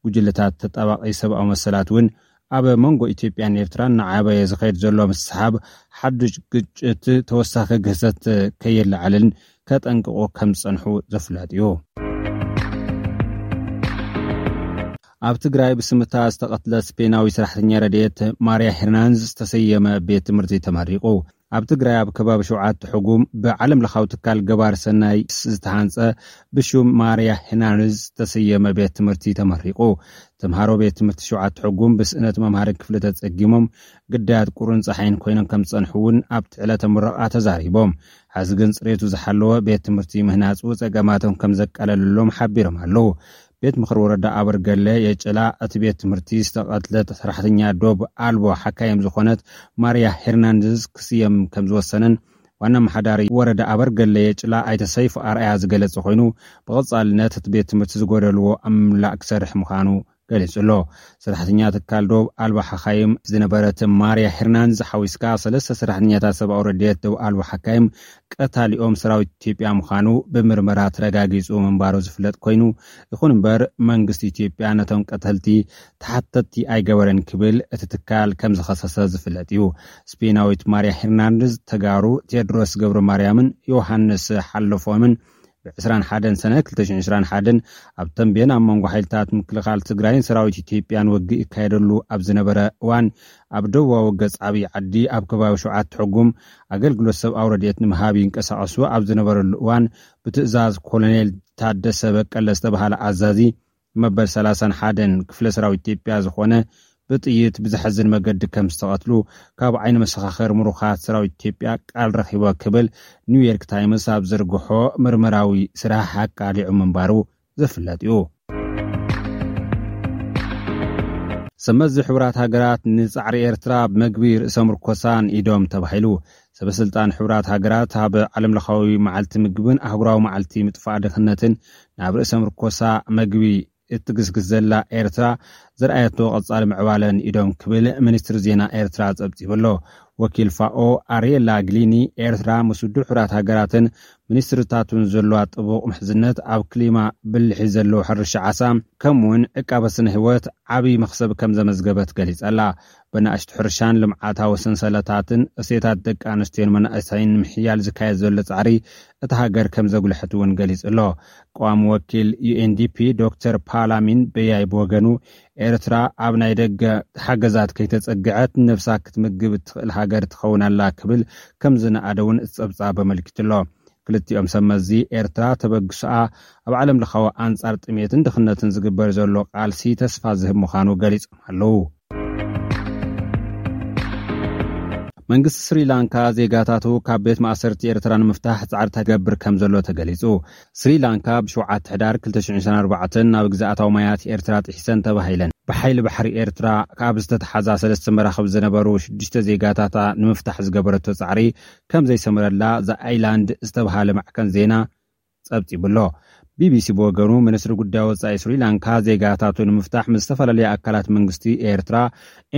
ጉጅለታት ተጣባቂ ሰብኣዊ መሰላት እውን ኣብ መንጎ ኢትዮጵያን ኤርትራን እናዓበየ ዝኸይድ ዘሎ ምስሓብ ሓዱሽ ግጭት ተወሳኺ ግህሰት ከየለዓዕልን ከጠንቅቑ ከም ዝጸንሑ ዝፍለጥ እዩ። ኣብ ትግራይ ብስምታ ዝተቐትለት ስፔናዊ ሰራሕተኛ ረድኤት ማርያ ሄርናንዝ ዝተሰየመ ቤት ትምህርቲ ተመሪቑ። ኣብ ትግራይ ኣብ ከባቢ ሸውዓተ ሕጉም ብዓለም ለኻዊ ትካል ገባር ሰናይ ዝተሃንጸ ብሹም ማርያ ሄርናንዝ ዝተሰየመ ቤት ትምህርቲ ተመሪቑ። ተምሃሮ ቤት ትምህርቲ ሸውዓተ ሕጉም ብስእነት መምሃሪ ክፍሊ ተጸጊሞም ግዳያት ቁርን ጸሓይን ኮይኖም ከም ዝጸንሑ እውን ኣብቲ ዕለተ ምረቓ ተዛሪቦም። ሕዚ ግን ጽሬቱ ዝሓለወ ቤት ትምህርቲ ምህናጹ ጸገማቶም ከም ዘቃለለሎም ሓቢሮም ኣለዉ። ቤት ምኽሪ ወረዳ ኣበርገለ የጭላ እቲ ቤት ትምህርቲ ዝተቐትለት ሰራሕተኛ ዶብ ኣልቦ ሓካይም ዝኾነት ማርያ ሄርናንደዝ ክስየም ከም ዝወሰነን ዋና ኣመሓዳሪ ወረዳ ኣበርገለ የጭላ ኣይተ ሰይፉ ኣርኣያ ዝገለጸ ኮይኑ፣ ብቐጻልነት እቲ ቤት ትምህርቲ ዝጎደልዎ ኣብ ምምላእ ክሰርሕ ምዃኑ ገሊጹ ኣሎ። ሰራሕተኛ ትካል ዶብ ኣልባ ሓካይም ዝነበረት ማርያ ሄርናንዝ ሓዊስካ ሰለስተ ሰራሕተኛታት ሰብኣዊ ረድኤት ዶብ ኣልባ ሓካይም ቀታሊኦም ሰራዊት ኢትዮጵያ ምዃኑ ብምርመራ ተረጋጊጹ ምንባሩ ዝፍለጥ ኮይኑ፣ ይኹን እምበር መንግስቲ ኢትዮጵያ ነቶም ቀተልቲ ተሓተትቲ ኣይገበረን ክብል እቲ ትካል ከም ዝኸሰሰ ዝፍለጥ እዩ። ስፔናዊት ማርያ ሄርናንድዝ ተጋሩ ቴድሮስ ገብረ ማርያምን ዮሃንስ ሓለፎምን ብ ዕስራን ሓደን ሰነ ክልተ ሽሕን ዕስራን ሓደን ኣብ ተንቤን ኣብ መንጎ ሓይልታት ምክልኻል ትግራይን ሰራዊት ኢትዮጵያን ውግእ ይካየደሉ ኣብ ዝነበረ እዋን፣ ኣብ ደቡባዊ ገጽ ዓብዪ ዓዲ ኣብ ከባቢ ሸውዓተ ሕጉም ኣገልግሎት ሰብኣዊ ረድኤት ንምሃብ ይንቀሳቐሱ ኣብ ዝነበረሉ እዋን፣ ብትእዛዝ ኮሎኔል ታደሰ በቀለ ዝተባህለ ኣዛዚ መበል ሰላሳን ሓደን ክፍለ ሰራዊት ኢትዮጵያ ዝኾነ ብጥይት ብዘሕዝን መገዲ ከም ዝተቐትሉ ካብ ዓይኒ መሰኻኽር ምሩኻት ሰራዊት ኢትዮጵያ ቃል ረኺበ ክብል ኒውዮርክ ታይምስ ኣብ ዘርግሖ ምርመራዊ ስራሕ ኣቃሊዑ ምንባሩ ዝፍለጥ እዩ። ሰመዚ ሕቡራት ሃገራት ንጻዕሪ ኤርትራ ብመግቢ ርእሰ ምርኮሳን ኢዶም ተባሂሉ። ሰበስልጣን ሕቡራት ሃገራት ኣብ ዓለምለኻዊ መዓልቲ ምግብን ኣህጉራዊ መዓልቲ ምጥፋእ ድኽነትን ናብ ርእሰ ምርኮሳ መግቢ እትግስግስ ዘላ ኤርትራ ዘርኣየቶ ቀጻሊ ምዕባለን ኢዶም ክብል ሚኒስትሪ ዜና ኤርትራ ጸብጺቡ ኣሎ። ወኪል ፋኦ ኣርየላ ግሊኒ፣ ኤርትራ ምስ ውድብ ሕቡራት ሃገራትን ሚኒስትርታቱን ዘለዋ ጥቡቕ ምሕዝነት ኣብ ክሊማ ብልሒ ዘለዎ ሕርሻ ዓሳ ከምኡውን ዕቃበ ስነ ህይወት ዓብዪ መኽሰብ ከም ዘመዝገበት ገሊጻ ኣላ። ብናእሽቱ ሕርሻን ልምዓታዊ ሰንሰለታትን እሴታት ደቂ ኣንስትዮን መናእሰይን ንምሕያል ዝካየድ ዘሎ ጻዕሪ እታ ሃገር ከም ዘጉልሐት እውን ገሊጹ ኣሎ። ቀዋሚ ወኪል ዩ ኤን ዲ ፒ ዶክተር ፓላሚን በያይ ብወገኑ፣ ኤርትራ ኣብ ናይ ደገ ሓገዛት ከይተጸግዐት ነብሳ ክትምግብ እትኽእል ሃገር ትኸውን ኣላ ክብል ከም ዝነኣደ እውን እቲ ጸብጻብ ኣመልኪቱ ኣሎ። ክልቲኦም ሰብ መዚ ኤርትራ ተበግሶኣ ኣብ ዓለም ለኻዊ ኣንጻር ጥሜትን ድኽነትን ዝግበር ዘሎ ቃልሲ ተስፋ ዝህብ ምዃኑ ገሊጾም ኣለዉ። መንግስቲ ስሪላንካ ዜጋታቱ ካብ ቤት ማእሰርቲ ኤርትራ ንምፍታሕ ጻዕርታት ይገብር ከም ዘሎ ተገሊጹ። ስሪላንካ ብሸውዓተ ሕዳር ክልተ ሽሕን ዕስራን ኣርባዕተን ናብ ግዝኣታዊ ማያት ኤርትራ ጥሒሰን ተባሂለን። ብሓይሊ ባሕሪ ኤርትራ ካብ ዝተተሓዛ ሰለስተ መራኽብ ዝነበሩ ሽዱሽተ ዜጋታታ ንምፍታሕ ዝገበረቶ ጻዕሪ ከም ዘይሰመረላ ዘ ኣይላንድ ዝተባሃለ ማዕከን ዜና ጸብጺቡ ኣሎ። ቢ ቢ ሲ ብወገኑ፣ ሚኒስትሪ ጉዳይ ወጻኢ ስሪላንካ ዜጋታቱ ንምፍታሕ ምስ ዝተፈላለዩ ኣካላት መንግስቲ ኤርትራ፣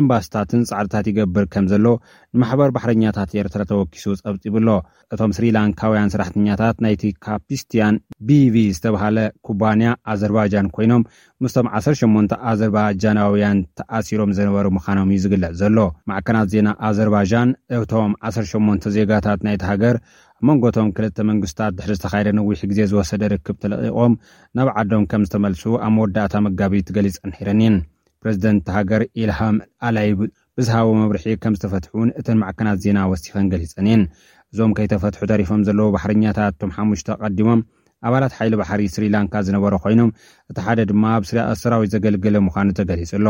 ኤምባስታትን ጻዕርታት ይገብር ከም ዘሎ ንማሕበር ባሕረኛታት ኤርትራ ተወኪሱ ጸብጺቡ ኣሎ። እቶም ስሪላንካውያን ሰራሕተኛታት ናይቲ ካፒስቲያን ቢ ቪ ዝተባሃለ ኩባንያ ኣዘርባይጃን ኮይኖም፣ ምስቶም ዓሰርተ ሸሞንተ ኣዘርባይጃናውያን ተኣሲሮም ዝነበሩ ምዃኖም እዩ ዝግለጽ ዘሎ። ማዕከናት ዜና ኣዘርባይጃን፣ እቶም ዓሰርተ ሸሞንተ ዜጋታት ናይቲ ሃገር ኣብ መንጎ እቶም ክልተ መንግስታት ድሕሪ ዝተኻየደ ነዊሕ ግዜ ዝወሰደ ርክብ ተለቒቖም ናብ ዓዶም ከም ዝተመልሱ ኣብ መወዳእታ መጋቢት ገሊጸን ነይረን እየን። ፕሬዚደንት እታ ሃገር ኢልሃም ኣላይብ ብዝሃቦ መብርሒ ከም ዝተፈትሑ እውን እተን ማዕከናት ዜና ወሲኸን ገሊጸን እየን። እዞም ከይተፈትሑ ተሪፎም ዘለዉ ባሕረኛታት እቶም ሓሙሽተ ቀዲሞም ኣባላት ሓይሊ ባሕሪ ስሪላንካ ዝነበሩ ኮይኖም፣ እቲ ሓደ ድማ ኣብ ስራ-፣ ሰራዊት ዘገልገለ ምዃኑ ተገሊጹ ኣሎ።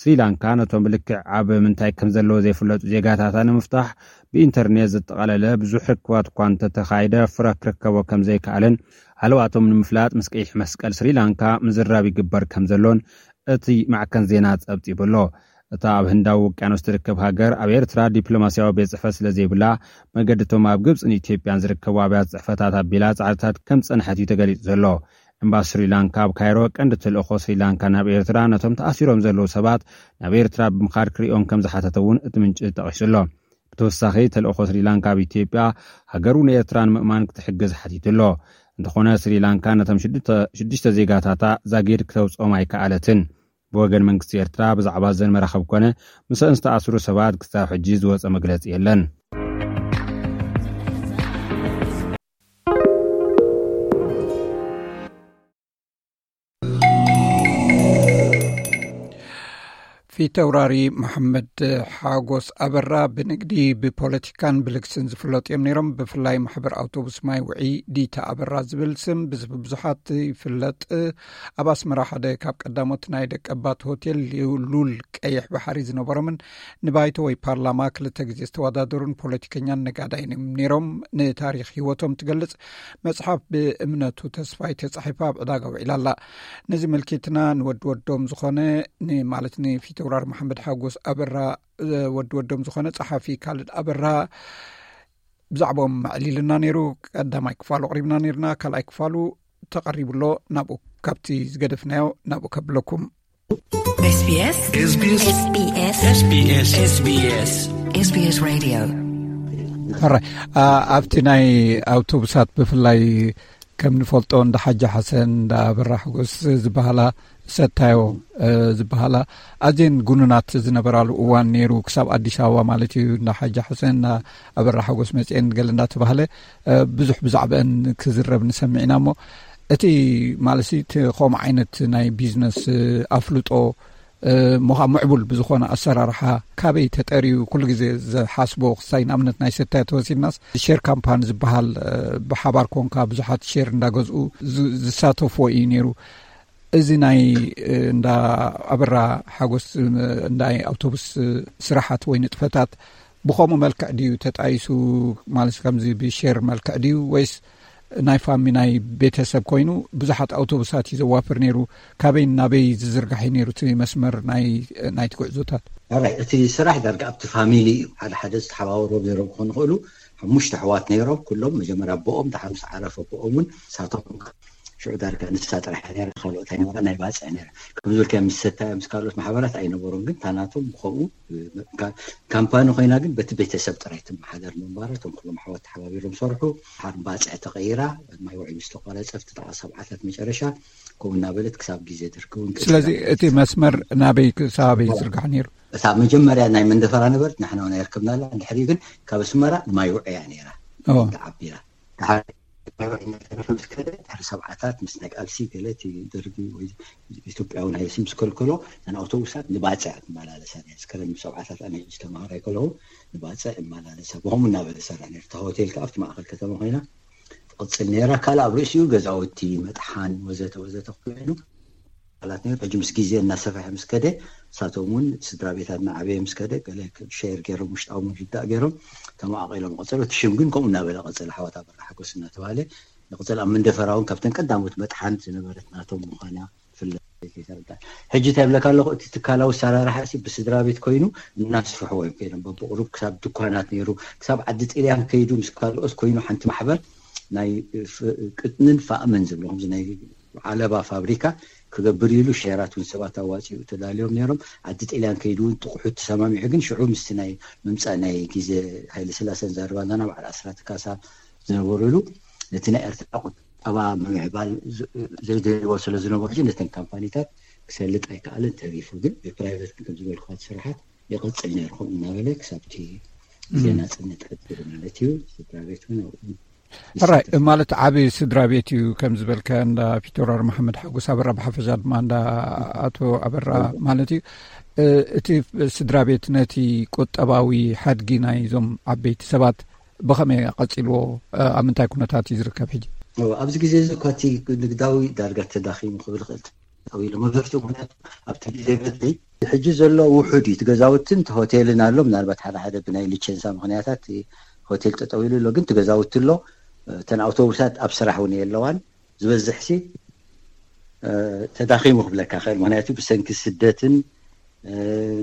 ስሪላንካ ነቶም ብልክዕ ኣብ ምንታይ ከም ዘለዉ ዘይፍለጡ ዜጋታታ ንምፍታሕ ብኢንተርኔት ዘጠቓለለ ብዙሕ ርክባት እኳ እንተተኻየደ፣ ፍረ ክርከቦ ከም ዘይከኣለን ሃለዋቶም ንምፍላጥ ምስ ቀይሕ መስቀል ስሪላንካ ምዝራብ ይግበር ከም ዘሎን እቲ ማዕከን ዜና ጸብጺቡ ኣሎ። እታ ኣብ ህንዳዊ ውቅያኖስ ትርከብ ሃገር ኣብ ኤርትራ ዲፕሎማስያዊ ቤት ጽሕፈት ስለ ዘይብላ፣ መገድቶም ኣብ ግብጽን ኢትዮጵያን ዝርከቡ ኣብያተ ጽሕፈታት ኣቢላ ጻዕርታት ከም ዝጸንሐት እዩ ተገሊጹ ዘሎ። ኤምባሲ ስሪላንካ ኣብ ካይሮ፣ ቀንዲ ተልእኾ ስሪላንካ ናብ ኤርትራ ነቶም ተኣሲሮም ዘለዉ ሰባት ናብ ኤርትራ ብምኻድ ክርእዮም ከም ዝሓተተ እውን እቲ ምንጪ ጠቒሱ ኣሎ። ብተወሳኺ፣ ተልእኾ ስሪላንካ ኣብ ኢትዮጵያ፣ ሃገሩ ንኤርትራ ንምእማን ክትሕግዝ ሓቲቱ ኣሎ። እንተኾነ፣ ስሪላንካ ነቶም ሽዱሽተ፣ ሽዱሽተ ዜጋታታ ዛጊድ ክተውጽኦም ኣይከኣለትን። ብወገን መንግስቲ ኤርትራ ብዛዕባ እዘን መራኽብ ኮነ ምስአን ዝተኣስሩ ሰባት ክሳብ ሕጂ ዝወጸ መግለጺ የለን። ፊተውራሪ መሓመድ ሓጎስ ኣበራ ብንግዲ፣ ብፖለቲካን ብልግስን ዝፍለጡ እዮም ነይሮም። ብፍላይ ማሕበር ኣውቶቡስ ማይ ውዒ ዲታ ኣበራ ዝብል ስም ብዝ-፣ ብዙሓት ይፍለጥ። ኣብ ኣስመራ ሓደ ካብ ቀዳሞት ናይ ደቀባት ሆቴል ሉል ቀይሕ ባሕሪ ዝነበሮምን ንባይቶ ወይ ፓርላማ ክልተ ግዜ ዝተወዳደሩን ፖለቲከኛን ነጋዳይን እዮም ነይሮም። ንታሪኽ ህይወቶም ትገልጽ መጽሓፍ ብእምነቱ ተስፋይ ተጻሒፋ ኣብ ዕዳጋ ውዒላ ኣላ። ነዚ መልኪትና ንወዲ ወዶም ዝኾነ፣ ን-፣ ማለት ንፊተውራሪ መሓመድ ሓጎስ ኣበራ፣ እ፣ ወዲ ወዶም ዝኾነ ጸሓፊ ካልድ ኣበራ ብዛዕባኦም ኣዕሊልና ነይሩ። ቀዳማይ ክፋሉ ኣቕሪብና ነይርና፣ ካልኣይ ክፋሉ ተቐሪቡ ኣሎ። ናብኡ፣ ካብቲ ዝገደፍናዮ ናብኡ ከብለኩም። ኤስ ቢ ኤስ። ኤስ ቢ ኤስ። ኤስ ቢ ኤስ። ኤስ ቢ ኤስ። ኤስ ቢ ኤስ። ኤስ ቢ ኤስ ሬድዮ። ሕራይ፣ ኣ-፣ ኣብቲ ናይ ኣውቶቡሳት ብፍላይ ከም ንፈልጦ እንዳ ሓጂ ሓሰን፣ እንዳ ኣበራ ሓጎስ ዝበሃላ ሰታዮ፣ እ፣ ዝበሃላ ኣዝየን ጉኑናት ዝነበራሉ እዋን ነይሩ፣ ክሳብ ኣዲስ ኣበባ ማለት እዩ። እንዳ ሓጂ ሓሰን፣ እንዳ ኣበራ ሓጎስ መጽኤን ገለ እንዳተባህለ፣ እ፣ ብዙሕ ብዛዕባአን ክዝረብ ንሰምዕ ኢና። እሞ እቲ ማለትሲ እቲ ከምኡ ዓይነት ናይ ቢዝነስ፣ እ፣ ኣፍልጦ፣ እ፣ ምዃ-፣ ምዕቡል ብዝኾነ ኣሰራርሓ ካበይ ተጠርዩ? ኩሉ ግዜ ዝሓስቦ ክሳይ ንኣብነት ናይ ሰታይ ተወሲድናስ ሼር ካምፓኒ ዝበሃል፣ እ፣ ብሓባር ኮንካ ብዙሓት ሼር እንዳገዝኡ ዝ-፣ ዝሳተፍዎ እዩ ነይሩ። እዚ ናይ፣ እ፣ እንዳ ኣበራ ሓጎስ፣ እ፣ ናይ ኣውቶቡስ፣ እ፣ ስራሓት ወይ ንጥፈታት ብኸምኡ መልክዕ ድዩ ተጣይሱ? ማለት ከምዚ ብሼር መልክዕ ድዩ ወይስ ናይ ፋሚ ናይ ቤተሰብ ኮይኑ ብዙሓት ኣውቶቡሳት እዩ ዘዋፍር ነይሩ። ካበይ ናበይ ዝዝርጋሕ እዩ ነይሩ እቲ መስመር ናይ ናይቲ ጉዕዞታት? ራይ እቲ ስራሕ ዳርጋ ኣብቲ ፋሚሊ እዩ። ሓደ ሓደ ዝተሓባበሩ ነይሮም ክኾኑ ይኽእሉ። ሓሙሽተ ኣሕዋት ነይሮም፣ ኩሎም መጀመርያ ኣቦኦም፣ ድሓር ምስ ዓረፈ ኣቦኦም እውን ሳቶም ሽዑ ዳርጋ ንሳ ጥራሕ እያ ነይራ፣ ካልኦት ኣይነበራ፣ ናይ ባፅዕ ነይራ። ከም ዝበልካዮ ምስ ሰታዮ ምስ ካልኦት ማሕበራት ኣይነበሩን፣ ግን ታናቶም ከምኡ ካ- ካምፓኒ ኮይና ግን በቲ ቤተሰብ ጥራይ ትመሓደር ምንባራ፣ እቶም ኩሎም ኣሕዋት ተሓባቢሮም ሰርሑ። ሓር ባፅዕ ተቐይራ፣ ማይ ውዒ ምስ ተቋረፀ ኣብቲ ጥቓ ሰብዓታት መጨረሻ ከምኡ እናበለት ክሳብ ግዜ ድርክ እውን ስለዚ እቲ መስመር ናበይ ክሳበይ ዝርጋሕ ነይሩ? እታ መጀመርያ ናይ መንደፈራ ነበርት ንሕና ናይ ርከብናላ፣ ድሕሪ ግን ካብ ኣስመራ ንማይ ውዕያ ነይራ። ተዓቢራ ድሕሪ ሰብዓታት ምስ ናይ ቃልሲ ገለ እቲ ደርጊ ወይ ኢትዮጵያዊ ናይ ስም ስከልከሎ፣ ነን ኣውቶቡሳት ንባፅዕ ትመላለሳ ነይራ። ስከረን ምስ ሰብዓታት ኣነ ዝተማሃረ ከለኹ ንባፅዕ እመላለሳ። ብኸምኡ እናበለ ሰራ ነይሩ። እታ ሆቴል ከዓ ኣብቲ ማእኸል ከተማ ኮይና ትቕፅል ነይራ። ካልእ ኣብ ርእሲኡ ገዛውቲ፣ መጥሓን ወዘተ ወዘተ ኮይኑ ላት ነይሩ። ሕጂ ምስ ግዜ እናሰፍሐ ምስ ከደ፣ ንሳቶም እውን ስድራ ቤታትና ዓበየ ምስ ከደ፣ ገለ ሸር ገይሮም፣ ውሽጣዊ ምርዳእ ገይሮም ተመቓቒሎም ቀፀሉ። እቲ ሽም ግን ከምኡ እናበለ ቀፀለ። ሓወት ኣበራ ሓጎስ እናተባሃለ ይቕፀል። ኣብ መንደፈራ እውን ካብተን ቀዳሞት መጥሓን ዝነበረት ናቶም ምዃና ፍለጥ ይተረዳእ። ሕጂ እንታይ ይብለካ ኣለኹ፣ እቲ ትካላዊ ኣሰራርሓ ሲ ብስድራ ቤት ኮይኑ እናስፍሕዎ እዮም ከይዶም። በብቕሩብ ክሳብ ድኳናት ነይሩ፣ ክሳብ ዓዲ ጥልያን ከይዱ ምስ ካልኦት ኮይኑ ሓንቲ ማሕበር ናይ ፍ- ቅጥንን ፋእምን ዝብሎ ከምዚ ናይ ዓለባ ፋብሪካ ክገብር ኢሉ ሸራት እውን ሰባት ኣዋፂኡ ተዳልዮም ነይሮም። ዓዲ ጥልያን ከይዱ እውን ጥቑሑ ተሰማሚዑ፣ ግን ሽዑ ምስቲ ናይ ምምፃእ ናይ ግዜ ሃይለ ስላሰን ዛርባ ኣለና በዓል ኣስራት ካሳ ዝነበሩሉ ነቲ ናይ ኤርትራ ቁጠባ ምምዕባል ዝ- ዘይደልዎ ስለ ዝነበሩ ሕጂ ነተን ካምፓኒታት ክሰልጥ ኣይከኣለን፣ ተሪፉ ግን ብፕራይቨት ግን ከም ዝበልኩካ እቲ ስራሓት ይቕፅል ነይሩ። ከምኡ እናበለ ክሳብቲ ግዜ ናፅነት ዕድል ማለት እዩ። ስድራ ቤት እውን ኣብኡ ሕራይ ማለት ዓቢ ስድራ ቤት እዩ። ከም ዝበልካ እንዳ ፒተር መሓመድ ሓጎስ ኣበራ ብሓፈሻ ድማ እንዳ ኣቶ ኣበራ ማለት እዩ። እ፣ እቲ ስድራ ቤት ነቲ ቁጠባዊ ሓድጊ ናይዞም ዓበይቲ ሰባት ብኸመይ ቀፂልዎ? እ፣ ኣብ ምንታይ ኩነታት እዩ ዝርከብ ሕጂ? ኣብዚ ግዜ እዚ እኳ እቲ ንግዳዊ ዳርጋ ተዳኺሙ ክብል ይኽእል ጠው ኢሉ መብዛሕትኡ ምክንያቱ ኣብቲ ግዜ በድሊ ሕጂ ዘሎ ውሑድ እዩ። እቲ ገዛውትን እቲ ሆቴልን ኣሎ። ምናልባት ሓደ ሓደ ብናይ ሊቸንሳ ምክንያታት እቲ ሆቴል ጠጠው ኢሉ ኣሎ፣ ግን እቲ ገዛውቲ ኣሎ። እተን ኣውቶቡሳት ኣብ ስራሕ እውን የለዋን። ዝበዝሕ ሲ እ፣ ተዳኺሙ ክብለካ ክእል። ምክንያቱ ብሰንኪ ስደትን እ፣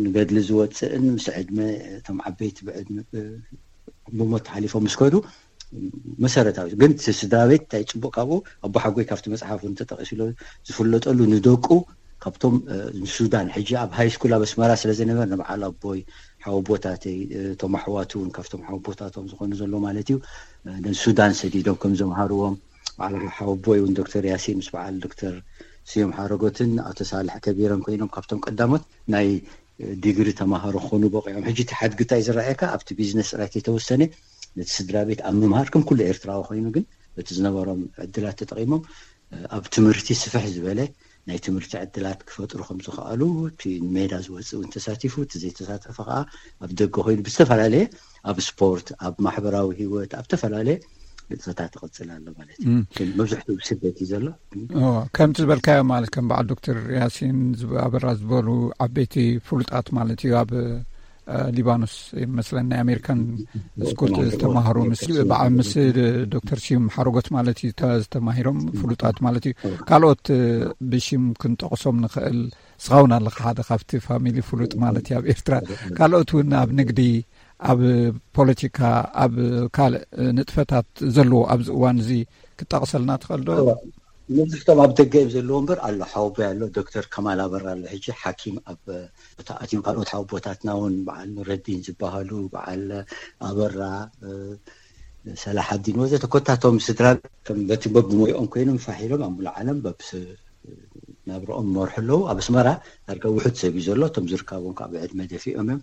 ንገድሊ ዝወፅእን ምስ ዕድመ እቶም ዓበይቲ ብዕድመ እ፣ ብሞት ሓሊፎም ምስ ከዱ መሰረታዊ ግን እቲ ስድራ ቤት እንታይ ፅቡቅ ካብኡ ኣቦ ሓጎይ ካብቲ መፅሓፍ እውን ተጠቂሱ ኣሎ ዝፍለጠሉ ንደቁ ካብቶም እ፣ ንሱዳን ሕጂ ኣብ ሃይ ስኩል ኣብ ኣስመራ ስለ ዝነበር ንበዓል ኣቦይ ሓወቦታተይ እ፣ እቶም ኣሕዋት እውን ካብቶም ሓወቦታቶም ዝኾኑ ዘሎ ማለት እዩ እ፣ ንሱዳን ሰዲዶም ከም ዘምሃርዎም በዓል ሓወቦይ እውን ዶክተር ያሲን ምስ በዓል ዶክተር ስዮም ሓረጎትን ኣቶ ሳልሕ ከቢረን ኮይኖም ካብቶም ቀዳሞት ናይ እ፣ ዲግሪ ተማሃሮ ክኾኑ በቂዖም። ሕጂ እቲ ሓድጊ እንታይ ዝረኣየካ ኣብቲ ቢዝነስ ጥራይ ከይተወሰነ ነቲ ስድራ ቤት ኣብ ምምሃር ከም ኩሉ ኤርትራዊ ኮይኑ ግን በቲ ዝነበሮም ዕድላት ተጠቂሞም እ፣ ኣብ ትምህርቲ ስፍሕ ዝበለ ናይ ትምህርቲ ዕድላት ክፈጥሩ ከም ዝኸኣሉ እቲ ሜዳ ዝወፅእ እውን ተሳቲፉ፣ እቲ ዘይተሳተፈ ከዓ ኣብ ደገ ኮይኑ ብዝተፈላለየ ኣብ ስፖርት፣ ኣብ ማሕበራዊ ህይወት፣ ኣብ ዝተፈላለየ ንጥፈታት ይቕፅል ኣሎ ማለት እዩ። እም። ግን መብዝሕትኡ ስደት እዩ ዘሎ። እም። እዎ፣ ከምቲ ዝበልካዮ ማለት ከም በዓል ዶክተር ያሲን ዝብ- ኣበራ ዝበሉ ዓበይቲ ፍሉጣት ማለት እዩ ኣብ እ፣ ሊባኖስ ይመስለን ናይ ኣሜሪካን ስኩል ዝተማህሩ ምስ በዓል ምስ ዶክተር ስዩም ሓረጎት ማለት እዩ ተ- ዝተማሂሮም ፍሉጣት ማለት እዩ። ካልኦት እ፣ ብሽም ክንጠቕሶም ንኽእል ስኻውን ኣለኻ ሓደ ካብቲ ፋሚሊ ፍሉጥ ማለት እዩ ኣብ ኤርትራ። ካልኦት እውን ኣብ ንግዲ ኣብ ፖለቲካ ኣብ ካልእ ንጥፈታት ዘለዎ ኣብዚ እዋን እዚ ክጠቕሰልና ትኽእል ዶ? መብዝሕቶም ኣብ ደገ እዮም ዘለዎ እምበር ኣሎ ሓወቦይ ኣሎ ዶክተር ከማል ኣበራ ኣሎ ሕጂ ሓኪም ኣብ ተኣትዮም ካልኦት ሓወቦታትና እውን በዓል ኑረዲን ዝበሃሉ በዓል ኣበራ እ፣ ሰላሓዲን ወዘተ ኮታቶም ስድራ ከም በቲ በብሞይኦም ኮይኖም ፋሕ ኢሎም ኣብ ሙሉእ ዓለም በብስ ናብረኦም ይመርሑ ኣለዉ። ኣብ ኣስመራ ዳርጋ ውሑድ ሰብ እዩ ዘሎ። እቶም ዝርካቦም ከዓ ብዕድመ ደፊኦም እዮም።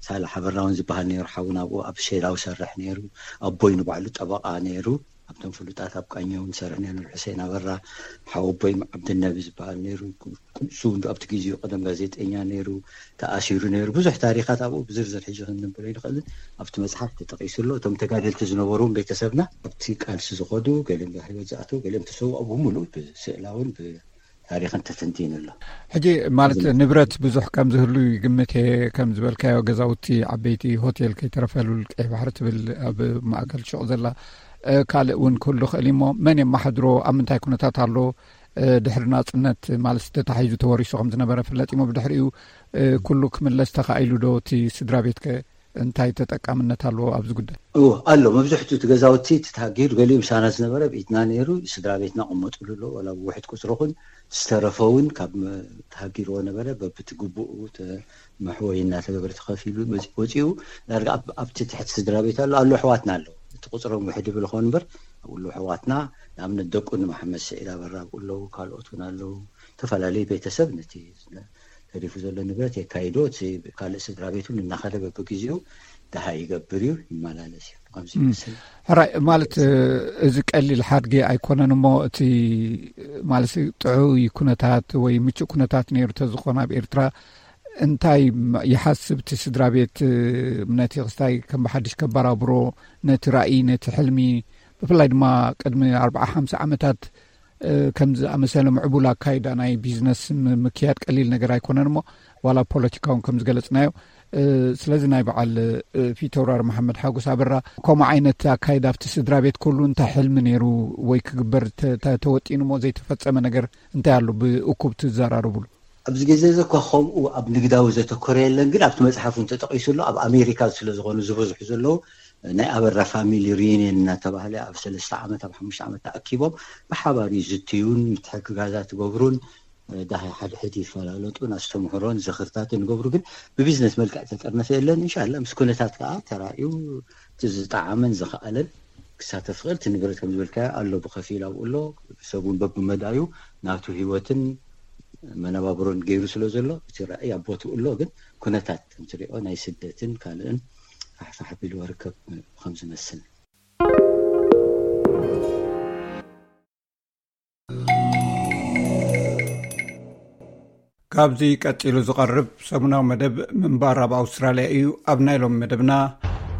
ሳልሕ ኣበራ እውን ዝበሃል ነይሩ ሓውና ኣብኡ ኣብ ሼዳው ሰርሕ ነይሩ። ኣቦይ ንባዕሉ ጠበቓ ነይሩ። ኣብቶም ፍሉጣት ኣብ ቃኘውን ሰርሕ ነይሩ። ሕሴን ኣበራ ሓወቦይ ዓብድነቢ ዝበሃል ነይሩ። ንሱ እውን ኣብቲ ግዜኡ ቀደም ጋዜጠኛ ነይሩ፣ ተኣሲሩ ነይሩ። ብዙሕ ታሪኻት ኣብኡ ብዝርዝር ሕጂ ክንንብሮ ይንኽእልን ኣብቲ መፅሓፍ ተጠቒሱ ኣሎ። እቶም ተጋደልቲ ዝነበሩ ቤተሰብና ኣብቲ ቃልሲ ዝኸዱ ገሊኦም ህይወት ዝኣተው ገሊኦም ተሰው ኣብኡ ሙሉእ ብስእላውን ታሪኽን ተተንቲኑ ኣሎ። ሕጂ ማለት ንብረት ብዙሕ ከም ዝህሉ ይግምት እየ። ከም ዝበልካዮ ገዛውቲ፣ ዓበይቲ ሆቴል ከይተረፈ ሉል ቀይ ባሕሪ ትብል ኣብ ማእከል ሹቕ ዘላ ካልእ እውን ክህሉ ክእል እሞ፣ መን የመሓድሮ፣ ኣብ ምንታይ ኩነታት ኣሎ? ድሕሪ ናፅነት ማለት ተታሒዙ ተወሪሱ ከም ዝነበረ ፍለጥ እሞ፣ ብድሕሪኡ ኩሉ ክምለስ ተኻኢሉ ዶ? እቲ ስድራ ቤትከ እንታይ ተጠቃምነት ኣለዎ ኣብዚ ጉዳይ? እዎ፣ ኣሎ። መብዝሕቱ እቲ ገዛውቲ፣ እቲ ተሃጊሩ፣ ገሊኡ ምሳና ዝነበረ ብኢድና ነይሩ፣ ስድራ ቤትና ቅመጥሉ ኣሎ። ዋላ ብውሕድ ቁፅሪ ኹን ዝተረፈ እውን ካብ መ-፣ ተሃጊርዎ ነበረ፣ በብቲ ግቡኡ ተ-፣ መሕወይ እናተገበረ ተኸፊሉ መፂ-፣ ወፂኡ። ዳርጋ ኣብ-፣ ኣብቲ ትሕቲ ስድራ ቤት ኣሎ፣ ኣሎ፣ ኣሕዋትና ኣለዉ። እቲ ቁፅሮም ውሕድ ይብል ኾን እምበር፣ ኣብኡ ኣለዉ ኣሕዋትና። ንኣብነት ደቁ ንመሓመድ ስዒድ ኣበራ ኣብኡ ኣለዉ፣ ካልኦት እውን ኣለዉ። ዝተፈላለዩ ቤተሰብ ነቲ ተሪፉ ዘሎ ንብረት የካይዶ፣ እቲ ካልእ ስድራ ቤት እውን እናኸደ በብግዜኡ ደሃ ይገብር እዩ፣ ይመላለስ እዩ። ከምዚ ይመስል። ሕራይ ማለት፣ እዚ ቀሊል ሓድጊ ኣይኮነን እሞ፣ እቲ ማለት ጥዑይ ኩነታት ወይ ምቹእ ኩነታት ነይሩ ተዝኾን ኣብ ኤርትራ፣ እንታይ ይሓስብ እቲ ስድራ ቤት፣ ነቲ ክስታይ ከም ብሓድሽ ከባራብሮ፣ ነቲ ራእይ፣ ነቲ ሕልሚ፣ ብፍላይ ድማ ቅድሚ ኣርብዓ ሓምሳ ዓመታት ከምዚ ኣመሰለ ምዕቡል ኣካይዳ ናይ ቢዝነስ ም-፣ ምክያድ ቀሊል ነገር ኣይኮነን እሞ፣ ዋላ ፖለቲካውን ከም ዝገለጽናዮ። ስለዚ ናይ በዓል ፊተውራሪ መሓመድ ሓጎስ ኣበራ ከምኡ ዓይነት ኣካይዳ ኣብቲ ስድራ ቤት ኩሉ እንታይ ሕልሚ ነይሩ ወይ ክግበር ተ-፣ ተ-፣ ተወጢኑ እሞ ዘይተፈጸመ ነገር እንታይ ኣሎ ብእኩብ ትዘራረቡሉ? ኣብዚ ግዜ እዚ እኳ ከምኡ ኣብ ንግዳዊ ዘተኮረ የለን፣ ግን ኣብቲ መጽሓፍ እውን ተጠቒሱ ኣሎ። ኣብ ኣሜሪካ ስለ ዝኾኑ ዝበዝሑ ዘለዉ፣ ናይ ኣበራ ፋሚሊ ሪዩኒየን እናተባህለ ኣብ ሰለስተ ዓመት፣ ኣብ ሓሙሽተ ዓመት ተኣኪቦም ብሓባር ይዝትዩን ምትሕግጋዛት ይገብሩን፣ ዳሃይ ሓድሕድ ይፈላለጡን ኣስተምህሮን ዝኽርታትን ይገብሩ። ግን ብቢዝነስ መልክዕ ተጠርነፈ የለን። እንሻላ ምስ ኩነታት ከዓ ተራእዩ እቲ ዝጠዓመን ዝኸኣለን ክሳተፍ ክእል። እቲ ንብረት ከም ዝበልካዮ ኣሎ፣ ብኸፊል ኣብኡ ኣሎ። ሰብ እውን በብመዳዩ ናቱ ህይወትን መነባብሮን ገይሩ ስለ ዘሎ፣ እቲ ራእይ ኣብ ቦትኡ ኣሎ። ግን ኩነታት ከምትሪኦ ናይ ስደትን ካልእን ፋሕፋሕ ኣቢልዎ ርከብ ከም ዝመስል። ካብዚ ቀጺሉ ዝቐርብ ሰሙናዊ መደብ ምንባር ኣብ ኣውስትራልያ እዩ። ኣብ ናይ ሎም መደብና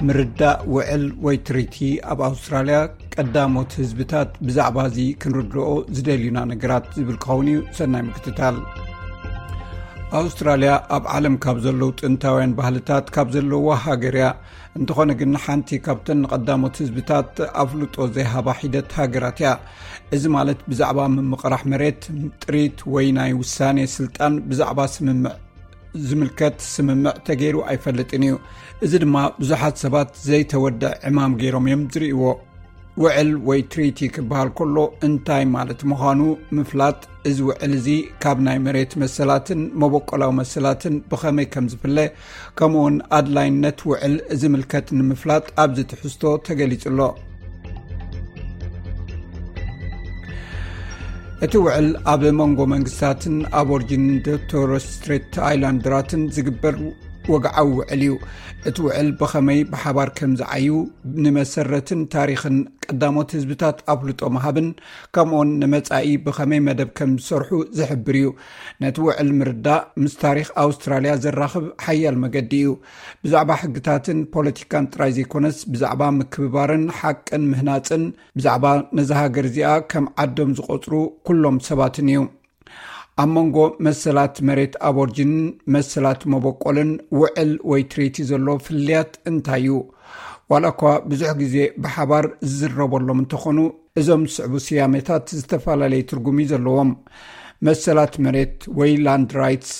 ምርዳእ ውዕል ወይ ትሪቲ ኣብ ኣውስትራልያ ቀዳሞት ህዝብታት ብዛዕባ እዚ ክንርድኦ ዝደልዩና ነገራት ዝብል ክኸውን እዩ። ሰናይ ምክትታል። ኣውስትራልያ ኣብ ዓለም ካብ ዘለዉ ጥንታውያን ባህልታት ካብ ዘለዋ ሃገር እያ። እንተኾነ ግን ሓንቲ ካብተን ንቐዳሞት ህዝብታት ኣፍልጦ ዘይሃባ ሒደት ሃገራት እያ። እዚ ማለት ብዛዕባ ምምቕራሕ መሬት፣ ጥሪት ወይ ናይ ውሳኔ ስልጣን ብዛዕባ ስምምዕ ዝምልከት ስምምዕ ተገይሩ ኣይፈልጥን እዩ። እዚ ድማ ብዙሓት ሰባት ዘይተወድአ ዕማም ገይሮም እዮም ዝርእይዎ። ውዕል ወይ ትሪቲ ክበሃል ከሎ እንታይ ማለት ምዃኑ ምፍላጥ፣ እዚ ውዕል እዚ ካብ ናይ መሬት መሰላትን መበቆላዊ መሰላትን ብኸመይ ከም ዝፍለ፣ ከምኡውን ኣድላይነት ውዕል ዝምልከት ንምፍላጥ ኣብዚ ትሕዝቶ ተገሊጹ ኣሎ። እቲ ውዕል ኣብ መንጎ መንግስታትን ኣቦርጂን ቶረስ ስትሬት ኣይላንድራትን ዝግበር ወግዓዊ ውዕል እዩ። እቲ ውዕል ብኸመይ ብሓባር ከም ዝዓዩ ንመሰረትን ታሪኽን ቀዳሞት ህዝብታት ኣፍልጦ ምሃብን፣ ከምኡውን ንመጻኢ ብኸመይ መደብ ከም ዝሰርሑ ዝሕብር እዩ። ነቲ ውዕል ምርዳእ ምስ ታሪኽ ኣውስትራልያ ዘራኽብ ሓያል መገዲ እዩ። ብዛዕባ ሕግታትን ፖለቲካን ጥራይ ዘይኮነስ፣ ብዛዕባ ምክብባርን ሓቅን ምህናጽን፣ ብዛዕባ ነዛ ሃገር እዚኣ ከም ዓዶም ዝቖጽሩ ኩሎም ሰባትን እዩ። ኣብ መንጎ መሰላት መሬት ኣቦርጂንን መሰላት መበቆልን ውዕል ወይ ትሪቲ ዘሎ ፍልልያት እንታይ እዩ? ዋላ እኳ ብዙሕ ግዜ ብሓባር ዝዝረበሎም እንተኾኑ፣ እዞም ዝስዕቡ ስያሜታት ዝተፈላለየ ትርጉም እዩ ዘለዎም። መሰላት መሬት ወይ ላንድ ራይትስ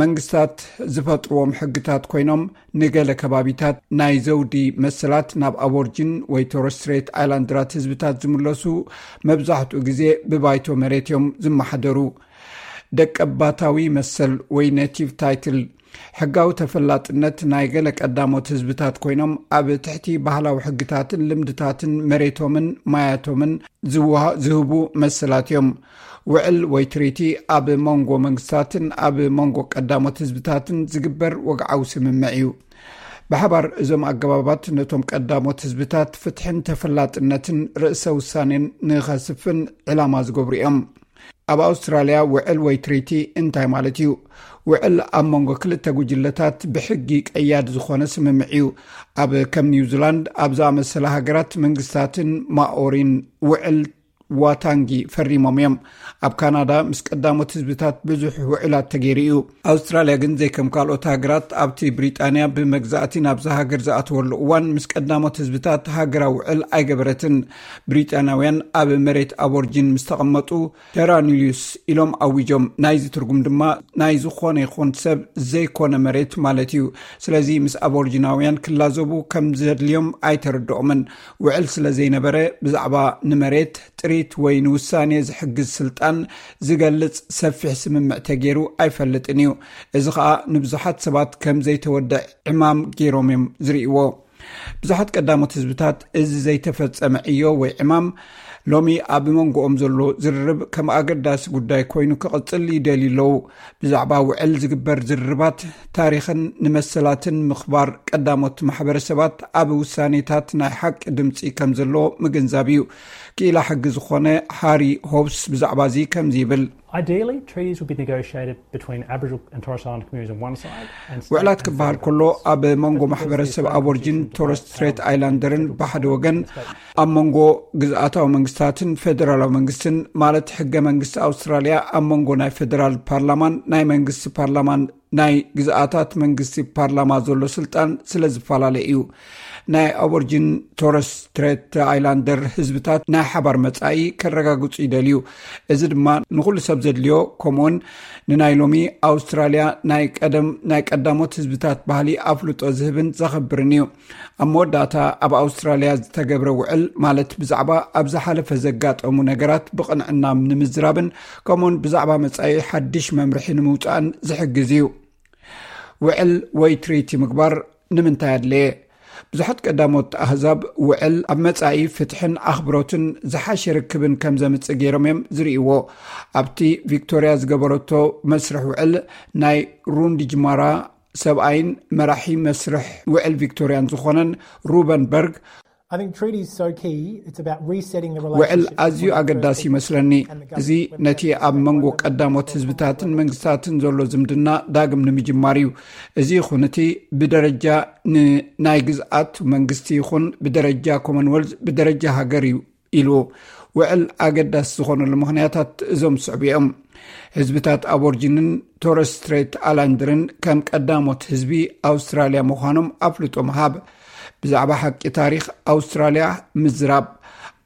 መንግስታት ዝፈጥርዎም ሕግታት ኮይኖም፣ ንገለ ከባቢታት ናይ ዘውዲ መሰላት ናብ ኣቦርጂን ወይ ቶረስ ስትሬት ኣይላንድራት ህዝብታት ዝምለሱ፣ መብዛሕትኡ ግዜ ብባይቶ መሬት እዮም ዝመሓደሩ። ደቀባታዊ መሰል ወይ ኔቲቭ ታይትል፣ ሕጋዊ ተፈላጥነት ናይ ገለ ቀዳሞት ህዝብታት ኮይኖም፣ ኣብ ትሕቲ ባህላዊ ሕግታትን ልምድታትን መሬቶምን ማያቶምን ዝወሃ-፣ ዝህቡ መሰላት እዮም። ውዕል ወይ ትሪቲ ኣብ መንጎ መንግስታትን ኣብ መንጎ ቀዳሞት ህዝብታትን ዝግበር ወግዓዊ ስምምዕ እዩ። ብሓባር እዞም ኣገባባት ነቶም ቀዳሞት ህዝብታት ፍትሕን ተፈላጥነትን ርእሰ ውሳኔን ንኸስፍን ዕላማ ዝገብሩ እዮም። ኣብ ኣውስትራልያ ውዕል ወይ ትሪቲ እንታይ ማለት እዩ? ውዕል ኣብ መንጎ ክልተ ጉጅለታት ብሕጊ ቀያዲ ዝኾነ ስምምዕ እዩ። ኣብ ከም ኒውዚላንድ ኣብ ዝኣመሰላ ሃገራት መንግስታትን ማኦሪን ውዕል ዋታንጊ ፈሪሞም እዮም። ኣብ ካናዳ ምስ ቀዳሞት ህዝብታት ብዙሕ ውዕላት ተገይሩ እዩ። ኣውስትራልያ ግን ዘይከም ካልኦት ሃገራት ኣብቲ ብሪጣንያ ብመግዛእቲ ናብዛ ሃገር ዝኣተወሉ እዋን ምስ ቀዳሞት ህዝብታት ሃገራዊ ውዕል ኣይገበረትን። ብሪጣንያውያን ኣብ መሬት ኣቦርጂን ምስ ተቐመጡ ተራኒልዩስ ኢሎም ኣዊጆም። ናይዚ ትርጉም ድማ ናይ ዝኾነ ይኹን ሰብ ዘይኮነ መሬት ማለት እዩ። ስለዚ ምስ ኣቦርጂናውያን ክላዘቡ ከም ዘድልዮም ኣይተረድኦምን። ውዕል ስለ ዘይነበረ ብዛዕባ ንመሬት ጥሪት ወይ ንውሳኔ ዝሕግዝ ስልጣን ዝገልጽ ሰፊሕ ስምምዕ ተገይሩ ኣይፈልጥን እዩ። እዚ ኸኣ ንብዙሓት ሰባት ከም ዘይተወድዕ ዕማም ገይሮም እዮም ዝርእይዎ። ብዙሓት ቀዳሞት ህዝብታት እዚ ዘይተፈጸመ ዕዮ ወይ ዕማም ሎሚ ኣብ መንጎኦም ዘሎ ዝርርብ ከም ኣገዳሲ ጉዳይ ኮይኑ ክቕጽል ይደልዩ ኣለዉ። ብዛዕባ ውዕል ዝግበር ዝርርባት ታሪኽን ንመሰላትን ምኽባር ቀዳሞት ማሕበረሰባት ኣብ ውሳኔታት ናይ ሓቂ ድምፂ ከም ዘሎ ምግንዛብ እዩ። ክኢላ ሕጊ ዝኾነ ሃሪ ሆብስ ብዛዕባ እዚ ከምዚ ይብል። Ideally, treaties would be negotiated between Aboriginal and Torres Strait Islander communities on one side and state ውዕላት and ክበሃል federal ከሎ ኣብ መንጎ ማሕበረሰብ ኣቦርጂን ቶረስ ስትሬት ኣይላንደርን ብሓደ ወገን፣ ኣብ መንጎ ግዝኣታዊ መንግስታትን ፌደራላዊ መንግስትን፣ ማለት ሕገ መንግስቲ ኣውስትራልያ ኣብ መንጎ ናይ ፌደራል ፓርላማን ናይ መንግስቲ ፓርላማን ናይ ግዝኣታት መንግስቲ ፓርላማ ዘሎ ስልጣን ስለ ዝፈላለ እዩ። ናይ ኣቦርጂን ቶረስ ስትሬት ኣይላንደር ህዝብታት ናይ ሓባር መጻኢ ከረጋግጹ ይደልዩ። እዚ ድማ ንኹሉ ሰብ ዘድልዮ፣ ከምኡውን ንናይ ሎሚ ኣውስትራልያ ናይ ቀደም ናይ ቀዳሞት ህዝብታት ባህሊ ኣፍልጦ ዝህብን ዘኸብርን እዩ። ኣብ መወዳእታ ኣብ ኣውስትራልያ ዝተገብረ ውዕል ማለት ብዛዕባ ኣብ ዝሓለፈ ዘጋጠሙ ነገራት ብቕንዕና ንምዝራብን ከምኡውን ብዛዕባ መጻኢ ሓድሽ መምርሒ ንምውጻእን ዝሕግዝ እዩ። ውዕል ወይ ትሪቲ ምግባር ንምንታይ ኣድለየ? ብዙሓት ቀዳሞት ኣህዛብ ውዕል ኣብ መጻኢ ፍትሕን ኣኽብሮትን ዝሓሸ ርክብን ከም ዘምጽእ ገይሮም እዮም ዝርእይዎ። ኣብቲ ቪክቶርያ ዝገበረቶ መስርሕ ውዕል ናይ ሩንዲጅማራ ሰብኣይን መራሒ መስርሕ ውዕል ቪክቶርያን ዝኾነን ሩበን በርግ፣ I think treaties so key. It's about resetting the ውዕል relationship ኣዝዩ between ኣገዳሲ First ይመስለኒ። Peoples and the እዚ government. ነቲ ኣብ መንጎ ቀዳሞት ህዝብታትን መንግስታትን ዘሎ ዝምድና ዳግም ንምጅማር እዩ። እዚ ይኹን እቲ ብደረጃ ን-፣ ናይ ግዝኣት መንግስቲ ይኹን ብደረጃ ኮመንወልዝ ብደረጃ ሃገር እዩ ኢሉ። ውዕል ኣገዳሲ ዝኾነሉ ምኽንያታት እዞም ዝስዕቡ እዮም። ህዝብታት ኣቦርጂንን ቶረስ ስትሬት ኣላንድርን ከም ቀዳሞት ህዝቢ ኣውስትራልያ ምዃኖም ኣፍልጦ ምሃብ፣ ብዛዕባ ሓቂ ታሪኽ ኣውስትራልያ ምዝራብ፣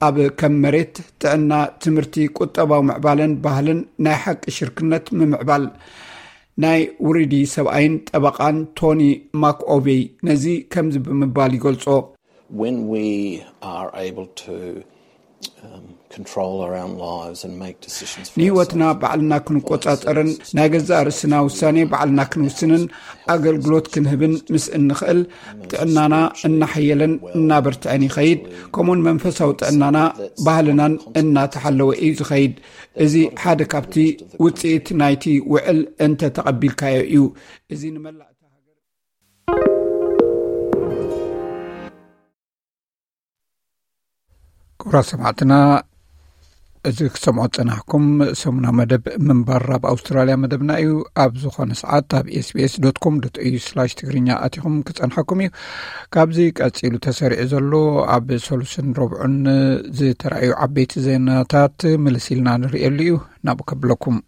ኣብ ከም መሬት፣ ጥዕና፣ ትምህርቲ፣ ቁጠባዊ ምዕባለን ባህልን ናይ ሓቂ ሽርክነት ምምዕባል። ናይ ውርዲ ሰብኣይን ጠበቓን ቶኒ ማክኦቬይ ነዚ ከምዚ ብምባል ይገልጾ። When we are able to, um, control our own lives and make decisions for ንህይወትና ourselves, ባዕልና ክንቆጻጸርን ናይ ገዛእ ርእስና ውሳኔ ባዕልና ክንውስንን ኣገልግሎት ክንህብን ምስ እንኽእል፣ ጥዕናና እናሓየለን እናበርትዐን ይኸይድ። ከምኡውን መንፈሳዊ ጥዕናና ባህልናን እናተሓለወ እዩ ዝኸይድ። እዚ ሓደ ካብቲ ውጽኢት ናይቲ ውዕል እንተ ተቐቢልካዮ እዩ። እዚ ንመላእ ክቡራት ሰማዕትና፣ እዚ ክሰምዖ ዝጸናሕኩም ሰሙና መደብ ምንባር ኣብ ኣውስትራልያ መደብና እዩ። ኣብ ዝኾነ ሰዓት ኣብ ኤስቢኤስ ዶት ኮም ዶት ኤዩ ስላሽ ትግርኛ ኣቲኹም ክጸንሐኩም እዩ። ካብዚ ቀጺሉ ተሰሪዑ ዘሎ ኣብ ሰሉስን ረብዑን ዝተራእዩ ዓበይቲ ዜናታት ምልስ ኢልና ንርእየሉ እዩ። ናብኡ ከብለኩም።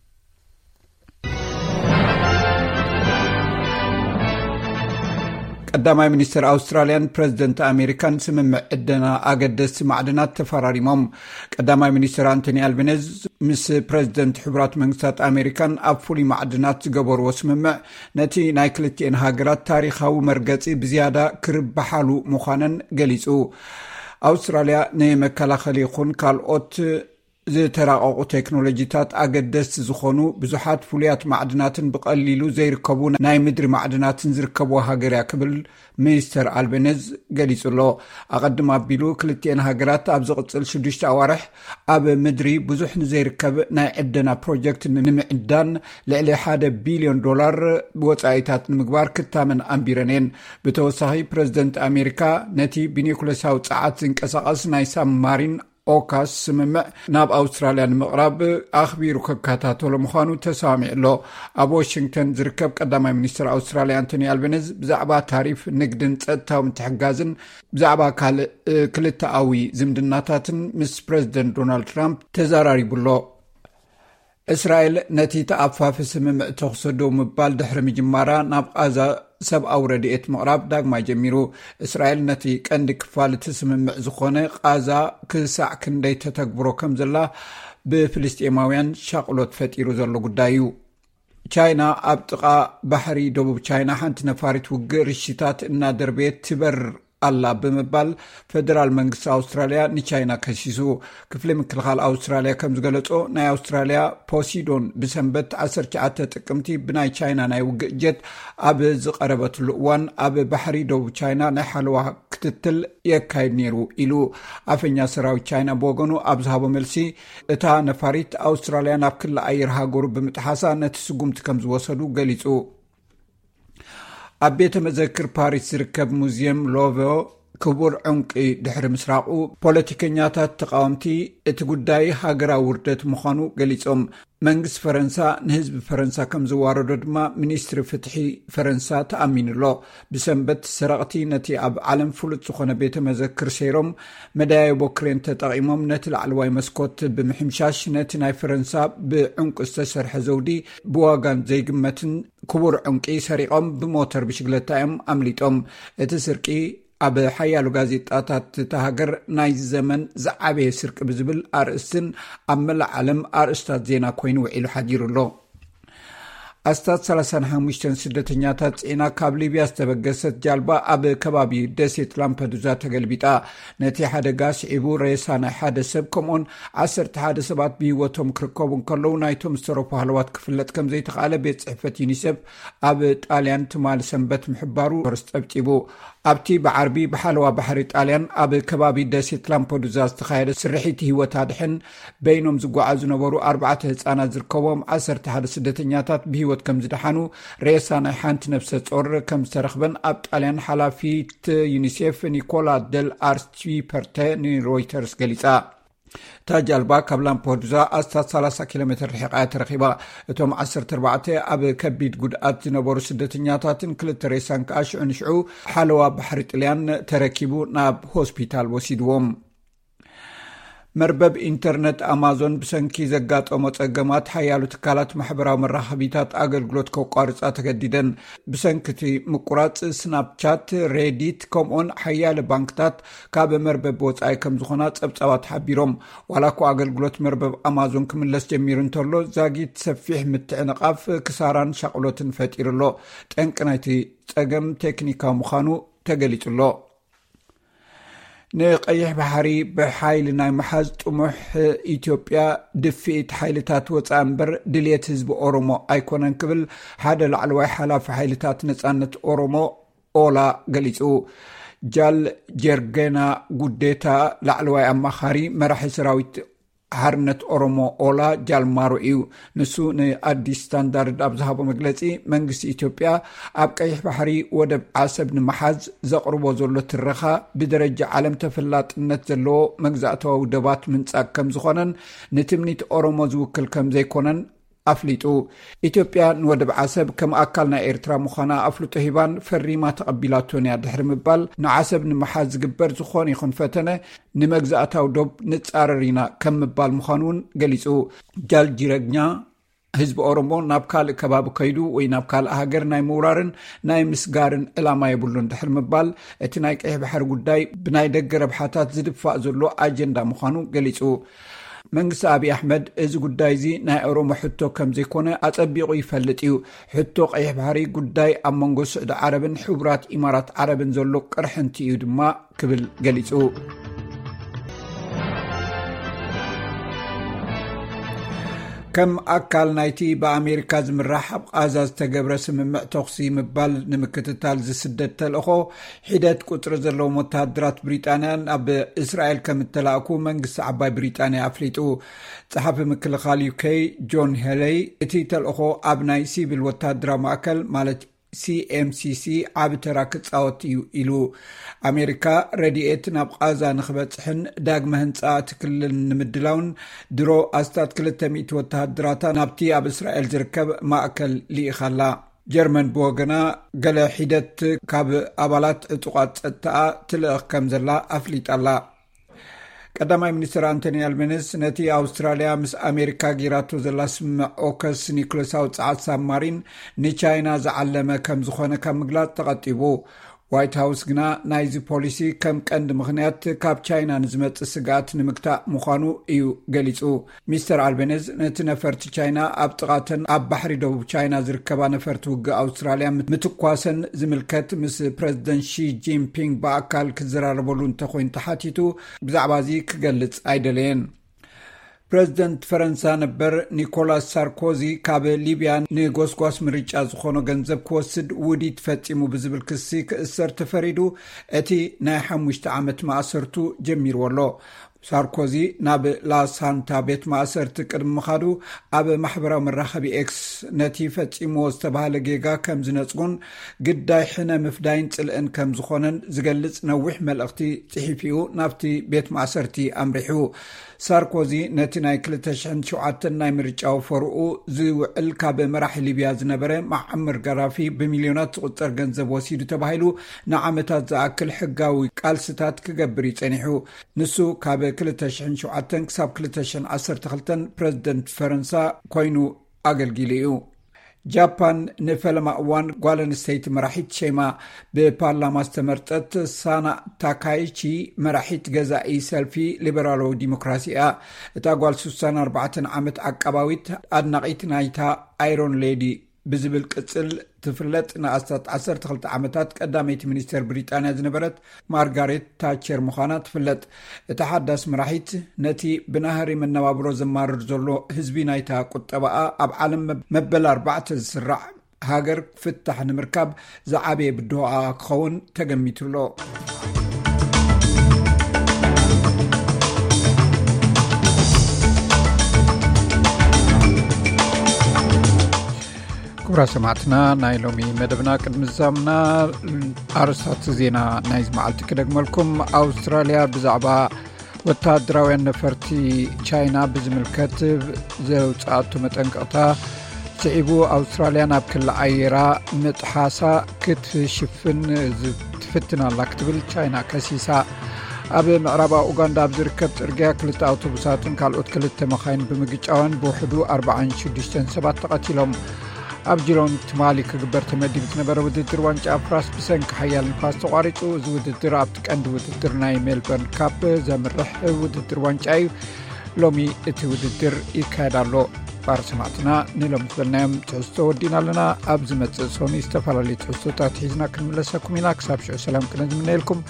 ቀዳማይ ሚኒስትር ኣውስትራልያን ፕረዚደንት ኣሜሪካን ስምምዕ ዕደና ኣገደስቲ ማዕድናት ተፈራሪሞም። ቀዳማይ ሚኒስትር ኣንቶኒ ኣልበነዝ ምስ ፕረዚደንት ሕቡራት መንግስታት ኣሜሪካን ኣብ ፍሉይ ማዕድናት ዝገበርዎ ስምምዕ፣ ነቲ ናይ ክልቲኤን ሃገራት ታሪኻዊ መርገጺ ብዝያዳ ክርብሓሉ ምዃነን ገሊጹ። ኣውስትራልያ ንመከላኸሊ ይኹን ካልኦት ዝተራቐቑ ቴክኖሎጂታት ኣገደስቲ ዝኾኑ ብዙሓት ፍሉያት ማዕድናትን ብቐሊሉ ዘይርከቡ ናይ ምድሪ ማዕድናትን ዝርከብዋ ሃገር እያ ክብል ሚኒስተር ኣልቤነዝ ገሊጹ ኣሎ። ኣቐድም ኣቢሉ ክልቲኤን ሃገራት ኣብ ዝቕጽል ሽዱሽተ ኣዋርሕ ኣብ ምድሪ ብዙሕ ንዘይርከብ ናይ ዕደና ፕሮጀክት ንምዕዳን ልዕሊ ሓደ ቢልዮን ዶላር ወጻኢታት ንምግባር ክታመን ኣንቢረን እየን። ብተወሳኺ ፕረዚደንት ኣሜሪካ ነቲ ብኒኩለሳዊ ጸዓት ዝንቀሳቐስ ናይ ሳብማሪን ኦካስ ስምምዕ ናብ ኣውስትራልያ ንምቕራብ ኣኽቢሩ ከከታተሎ ምዃኑ ተሰማሚዑ ኣሎ። ኣብ ዋሽንግተን ዝርከብ ቀዳማይ ሚኒስትር ኣውስትራልያ ኣንቶኒ ኣልበነዝ ብዛዕባ ታሪፍ፣ ንግድን ጸጥታዊ ምትሕግጋዝን፣ ብዛዕባ ካልእ ክልተኣዊ ዝምድናታትን ምስ ፕረዚደንት ዶናልድ ትራምፕ ተዘራሪቡ ኣሎ። እስራኤል ነቲ ተኣፋፊ ስምምዕ ተኹሲ ደው ምባል ድሕሪ ምጅማራ፣ ናብ ቓዛ ሰብኣዊ ረድኤት ምቕራብ ዳግማይ ጀሚሩ። እስራኤል ነቲ ቀንዲ ክፋል እቲ ስምምዕ ዝኾነ ቓዛ ክሳዕ ክንደይ ተተግብሮ ከም ዘላ ብፍልስጤማውያን ሻቕሎት ፈጢሩ ዘሎ ጉዳይ እዩ። ቻይና ኣብ ጥቓ ባሕሪ ደቡብ ቻይና ሓንቲ ነፋሪት ውግእ ርሽታት እናደርበየት ትበርር ኣላ ብምባል ፈደራል መንግስቲ ኣውስትራልያ ንቻይና ከሲሱ። ክፍሊ ምክልኻል ኣውስትራልያ ከም ዝገለጾ፣ ናይ ኣውስትራልያ ፖሲዶን ብሰንበት ዓሰርተ ትሽዓተ ጥቅምቲ ብናይ ቻይና ናይ ውግእ ጀት ኣብ ዝቐረበትሉ እዋን፣ ኣብ ባሕሪ ደቡብ ቻይና ናይ ሓለዋ ክትትል የካይድ ነይሩ ኢሉ። ኣፈኛ ሰራዊት ቻይና ብወገኑ ኣብ ዝሃቦ መልሲ፣ እታ ነፋሪት ኣውስትራልያ ናብ ክሊ ኣየር ሃገሩ ብምጥሓሳ ነቲ ስጉምቲ ከም ዝወሰዱ ገሊጹ። ኣብ ቤተ መዘክር ፓሪስ ዝርከብ ሙዚየም ሎቨ ክቡር ዕንቂ ድሕሪ ምስራቑ፣ ፖለቲከኛታት ተቃወምቲ እቲ ጉዳይ ሃገራዊ ውርደት ምዃኑ ገሊጾም። መንግስቲ ፈረንሳ ንህዝቢ ፈረንሳ ከም ዝዋረዶ ድማ ሚኒስትሪ ፍትሒ ፈረንሳ ተኣሚኑ ኣሎ። ብሰንበት ሰረቕቲ ነቲ ኣብ ዓለም ፍሉጥ ዝኾነ ቤተ መዘክር ሰይሮም፣ መደያየቦ ክሬን ተጠቒሞም ነቲ ላዕለዋይ መስኮት ብምሕምሻሽ፣ ነቲ ናይ ፈረንሳ ብዕንቁ ዝተሰርሐ ዘውዲ ብዋጋን ዘይግመትን ክቡር ዕንቂ ሰሪቖም ብሞተር ብሽግለታ እዮም ኣምሊጦም። እቲ ስርቂ ኣብ ሓያሎ ጋዜጣታት እታ ሃገር ናይዚ ዘመን ዝዓበየ ስርቂ ብዝብል ኣርእስትን ኣብ መላእ ዓለም ኣርእስታት ዜና ኮይኑ ውዒሉ ሓዲሩ ኣሎ። ኣስታት ሰላሳን ሓሙሽተን ስደተኛታት ጽዒና ካብ ሊብያ ዝተበገሰት ጃልባ ኣብ ከባቢ ደሴት ላምፐዱዛ ተገልቢጣ። ነቲ ሓደጋ ስዒቡ ሬሳ ናይ ሓደ ሰብ ከምኡን ዓሰርተ ሓደ ሰባት ብህይወቶም ክርከቡ እንከለዉ፣ ናይቶም ዝተረፉ ሃለዋት ክፍለጥ ከም ዘይተኻእለ ቤት ጽሕፈት ዩኒሴፍ ኣብ ጣልያን ትማሊ ሰንበት ምሕባሩ ሮይተርስ ጸብጺቡ። ኣብቲ ብዓርቢ ብሓለዋ ባሕሪ ጣልያን ኣብ ከባቢ ደሴት ላምፐዱዛ ዝተኻየደ ስርሒት ህይወት ኣድሕን፣ በይኖም ዝጓዓዙ ዝነበሩ ኣርባዕተ ህጻናት ዝርከቦም ዓሰርተ ሓደ ስደተኛታት ብህይወት ከም ዝደሓኑ፣ ሬሳ ናይ ሓንቲ ነፍሰ ጾር ከም ዝተረኽበን ኣብ ጣልያን ሓላፊት ዩኒሴፍ ኒኮላ ደል ኣርቺፐርተ ንሮይተርስ ገሊጻ። እታ ጃልባ ካብ ላምፐዱዛ ኣስታት ሰላሳ ኪሎ ሜትር ርሒቓ እያ ተረኺባ። እቶም ዓሰርተ ኣርባዕተ ኣብ ከቢድ ጉድኣት ዝነበሩ ስደተኛታትን ክልተ ሬሳን ከኣ ሽዑ ንሽዑ ሓለዋ ባሕሪ ጥልያን ተረኪቡ ናብ ሆስፒታል ወሲድዎም። መርበብ ኢንተርነት ኣማዞን ብሰንኪ ዘጋጠሞ ጸገማት፣ ሓያሎ ትካላት ማሕበራዊ መራኸቢታት ኣገልግሎት ከቋርጻ ተገዲደን። ብሰንኪ እቲ ምቁራጽ፣ ስናፕቻት፣ ሬዲት፣ ከምኡን ሓያለ ባንክታት ካብ መርበብ ወጻኢ ከም ዝኾና ጸብጻባት ሓቢሮም። ዋላ እኳ ኣገልግሎት መርበብ ኣማዞን ክምለስ ጀሚሩ እንተሎ፣ ዛጊት ሰፊሕ ምትዕንቓፍ፣ ክሳራን ሻቕሎትን ፈጢሩ ኣሎ። ጠንቂ ናይቲ ጸገም ቴክኒካዊ ምዃኑ ተገሊጹ ኣሎ። ንቀይሕ ባሕሪ ብሓይሊ ናይ ምሓዝ ጥሙሕ ኢትዮጵያ፣ ድፍኢት ሓይልታት ወጻኢ እምበር ድልየት ህዝቢ ኦሮሞ ኣይኮነን ክብል ሓደ ላዕለዋይ ሓላፊ ሓይልታት ነጻነት ኦሮሞ ኦላ ገሊጹ። ጃል ጀርጌና ጉዴታ፣ ላዕለዋይ ኣማኻሪ መራሒ ሰራዊት ሓርነት ኦሮሞ ኦላ ጃልማሮ እዩ። ንሱ ንኣዲስ ስታንዳርድ ኣብ ዝሃቦ መግለጺ፣ መንግስቲ ኢትዮጵያ ኣብ ቀይሕ ባሕሪ ወደብ ዓሰብ ንምሓዝ ዘቕርቦ ዘሎ ትረኻ፣ ብደረጃ ዓለም ተፈላጥነት ዘለዎ መግዛእታዊ ወደባት ምንጻግ ከም ዝኾነን ንትምኒት ኦሮሞ ዝውክል ከም ዘይኮነን ኣፍሊጡ። ኢትዮጵያ ንወደብ ዓሰብ ከም ኣካል ናይ ኤርትራ ምዃና ኣፍልጦ ሂባን ፈሪማ ተቐቢላቶን እያ ድሕሪ ምባል፣ ንዓሰብ ንምሓዝ ዝግበር ዝኾነ ይኹን ፈተነ ንመግዛእታዊ ዶብ ንጻረር ኢና ከም ምባል ምዃኑ እውን ገሊጹ። ጃል ጂረግኛ፣ ህዝቢ ኦሮሞ ናብ ካልእ ከባቢ ከይዱ ወይ ናብ ካልእ ሃገር ናይ ምውራርን ናይ ምስጋርን ዕላማ የብሉን ድሕሪ ምባል፣ እቲ ናይ ቀይሕ ባሕሪ ጉዳይ ብናይ ደገ ረብሓታት ዝድፋእ ዘሎ ኣጀንዳ ምዃኑ ገሊጹ። መንግስቲ ኣብይ ኣሕመድ እዚ ጉዳይ እዚ ናይ ኦሮሞ ሕቶ ከም ዘይኮነ ኣጸቢቑ ይፈልጥ እዩ። ሕቶ ቀይሕ ባሕሪ ጉዳይ ኣብ መንጎ ስዑዲ ዓረብን ሕቡራት ኢማራት ዓረብን ዘሎ ቅርሕንቲ እዩ ድማ ክብል ገሊጹ። ከም ኣካል ናይቲ ብኣሜሪካ ዝምራሕ ኣብ ቓዛ ዝተገብረ ስምምዕ ተኹሲ ምባል ንምክትታል ዝስደድ ተልእኾ፣ ሒደት ቁጽሪ ዘለዎም ወተሃደራት ብሪጣንያ ናብ እስራኤል ከም እተላእኩ መንግስቲ ዓባይ ብሪጣንያ ኣፍሊጡ። ጸሓፊ ምክልኻል ዩኬ ጆን ሄለይ፣ እቲ ተልእኾ ኣብ ናይ ሲቪል ወተሃደራዊ ማእከል፣ ማለት CMCC ዓቢ ተራ ክጻወት እዩ ኢሉ። ኣሜሪካ ረድኤት ናብ ቓዛ ንኽበጽሕን ዳግመ ህንጻ እቲ ክልል ንምድላውን ድሮ ኣስታት ክልተ ሚእቲ ወተሃደራታ ናብቲ ኣብ እስራኤል ዝርከብ ማእከል ልኢኻላ። ጀርመን ብወገና ገለ ሒደት ካብ ኣባላት ዕጡቓት ጸጥታኣ ትልእኽ ከም ዘላ ኣፍሊጣላ። ቀዳማይ ሚኒስትር ኣንቶኒ ኣልቤኒስ ነቲ ኣውስትራልያ ምስ ኣሜሪካ ጌራቶ ዘላ ስምምዕ ኦከስ ኒኩለሳዊ ጸዓት ሳብማሪን ንቻይና ዝዓለመ ከም ዝኾነ ካብ ምግላጽ ተቐጢቡ። ዋይት ሃውስ ግና ናይዚ ፖሊሲ ከም ቀንዲ ምኽንያት ካብ ቻይና ንዝመጽእ ስግኣት ንምግታእ ምዃኑ እዩ ገሊጹ። ሚስተር ኣልቤኒዝ ነቲ ነፈርቲ ቻይና ኣብ ጥቓተን ኣብ ባሕሪ ደቡብ ቻይና ዝርከባ ነፈርቲ ውግእ ኣውስትራልያ ምትኳሰን ዝምልከት ምስ ፕረዚደንት ሺ ጂንፒንግ ብኣካል ክዘራረበሉ እንተኮይኑ ተሓቲቱ ብዛዕባ እዚ ክገልጽ ኣይደለየን። ፕረዚደንት ፈረንሳ ነበር ኒኮላስ ሳርኮዚ ካብ ሊብያ ንጎስጓስ ምርጫ ዝኾኖ ገንዘብ ክወስድ ውዲት ፈጺሙ ብዝብል ክሲ ክእሰር ተፈሪዱ፣ እቲ ናይ ሓሙሽተ ዓመት ማእሰርቱ ጀሚርዎ ኣሎ። ሳርኮዚ ናብ ላሳንታ ቤት ማእሰርቲ ቅድሚ ምኻዱ ኣብ ማሕበራዊ መራኸቢ ኤክስ ነቲ ፈጺምዎ ዝተባህለ ጌጋ ከም ዝነጽጉን ግዳይ ሕነ ምፍዳይን ጽልእን ከም ዝኾነን ዝገልጽ ነዊሕ መልእኽቲ ጽሒፉ ናብቲ ቤት ማእሰርቲ ኣምሪሑ። ሳርኮዚ ነቲ ናይ ክልተ ሽሕን ሸውዓተን ናይ ምርጫ ወፈርኡ ዝውዕል ካብ መራሒ ሊብያ ዝነበረ መዓመር ጋዳፊ ብሚልዮናት ዝቑጸር ገንዘብ ወሲዱ ተባሂሉ ንዓመታት ዝኣክል ሕጋዊ ቃልስታት ክገብር እዩ ጸኒሑ። ንሱ ካብ ክልተ ሽሕን ሸውዓተን ክሳብ ክልተ ሽሕን ዓሰርተ ክልተን ፕረዚደንት ፈረንሳ ኮይኑ ኣገልጊሉ እዩ። ጃፓን ንፈለማ እዋን ጓል ኣንስተይቲ መራሒት ሸይማ። ብፓርላማ ዝተመርጠት ሳና ታካይቺ መራሒት ገዛኢ ሰልፊ ሊበራላዊ ዲሞክራሲ እያ። እታ ጓል ስሳን ኣርባዕተን ዓመት ዓቃባዊት ኣድናቒት ናይታ ኣይሮን ሌዲ ብዝብል ቅጽል ትፍለጥ ንኣስታት ዓሰርተ ክልተ ዓመታት ቀዳመይቲ ሚኒስተር ብሪጣንያ ዝነበረት ማርጋሬት ታቸር ምዃና ትፍለጥ። እታ ሓዳስ መራሒት ነቲ ብናህሪ መነባብሮ ዘማርር ዘሎ ህዝቢ ናይታ ቁጠባኣ ኣብ ዓለም መበል ኣርባዕተ ዝስራዕ ሃገር ፍታሕ ንምርካብ ዝዓበየ ብድሆኣ ክኸውን ተገሚቱ ኣሎ። ክቡራት ሰማዕትና፣ ናይ ሎሚ መደብና ቅድሚ ዝዛምና ኣርእስታት ዜና ናይዚ መዓልቲ ክደግመልኩም። ኣውስትራልያ ብዛዕባ ወተሃደራውያን ነፈርቲ ቻይና ብዝምልከት ዘውፅኣቶ መጠንቀቕታ ስዒቡ፣ ኣውስትራልያ ናብ ክሊ ኣየራ ምጥሓሳ ክትሽፍን ትፍትን ኣላ ክትብል ቻይና ከሲሳ። ኣብ ምዕራባዊ ኡጋንዳ ኣብ ዝርከብ ጽርግያ ክልተ ኣውቶቡሳትን ካልኦት ክልተ መኻይን ብምግጫወን ብውሕዱ ኣርባዓን ሽዱሽተን ሰባት ተቐቲሎም። ኣብ ጂሎን ትማሊ ክግበር ተመዲቡ ዝነበረ ውድድር ዋንጫ ፍራንስ ብሰንኪ ሓያል ንፋስ ተቋሪጹ። እዚ ውድድር ኣብቲ ቀንዲ ውድድር ናይ ሜልበርን ካፕ ዘምርሕ ውድድር ዋንጫ እዩ። ሎሚ እቲ ውድድር ይካየድ ኣሎ። ባር ሰማዕትና፣ ንሎሚ ዝበልናዮም ትሕዝቶ ወዲና ኣለና። ኣብ ዝመጽእ ሶኒ ዝተፈላለዩ ትሕዝቶታት ሒዝና ክንምለሰኩም ኢና። ክሳብ ሽዑ ሰላም ክነ ዝምነየልኩም።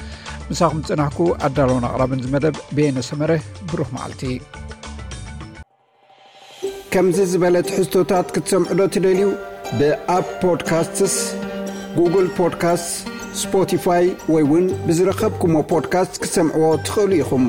ምሳኹም ዝጸናሕኩ ኣዳለውን ኣቕራብን ዝመደብ በየነ ሰመረ። ብሩኽ መዓልቲ። ከምዚ ዝበለ ትሕዝቶታት ክትሰምዑ ዶ ትደልዩ? ብኣፕ ፖድካስትስ፣ ጉግል ፖድካስትስ፣ ስፖቲፋይ ወይ እውን ብዝረኸብኩሞ ፖድካስት ክትሰምዕዎ ትኽእሉ ኢኹም።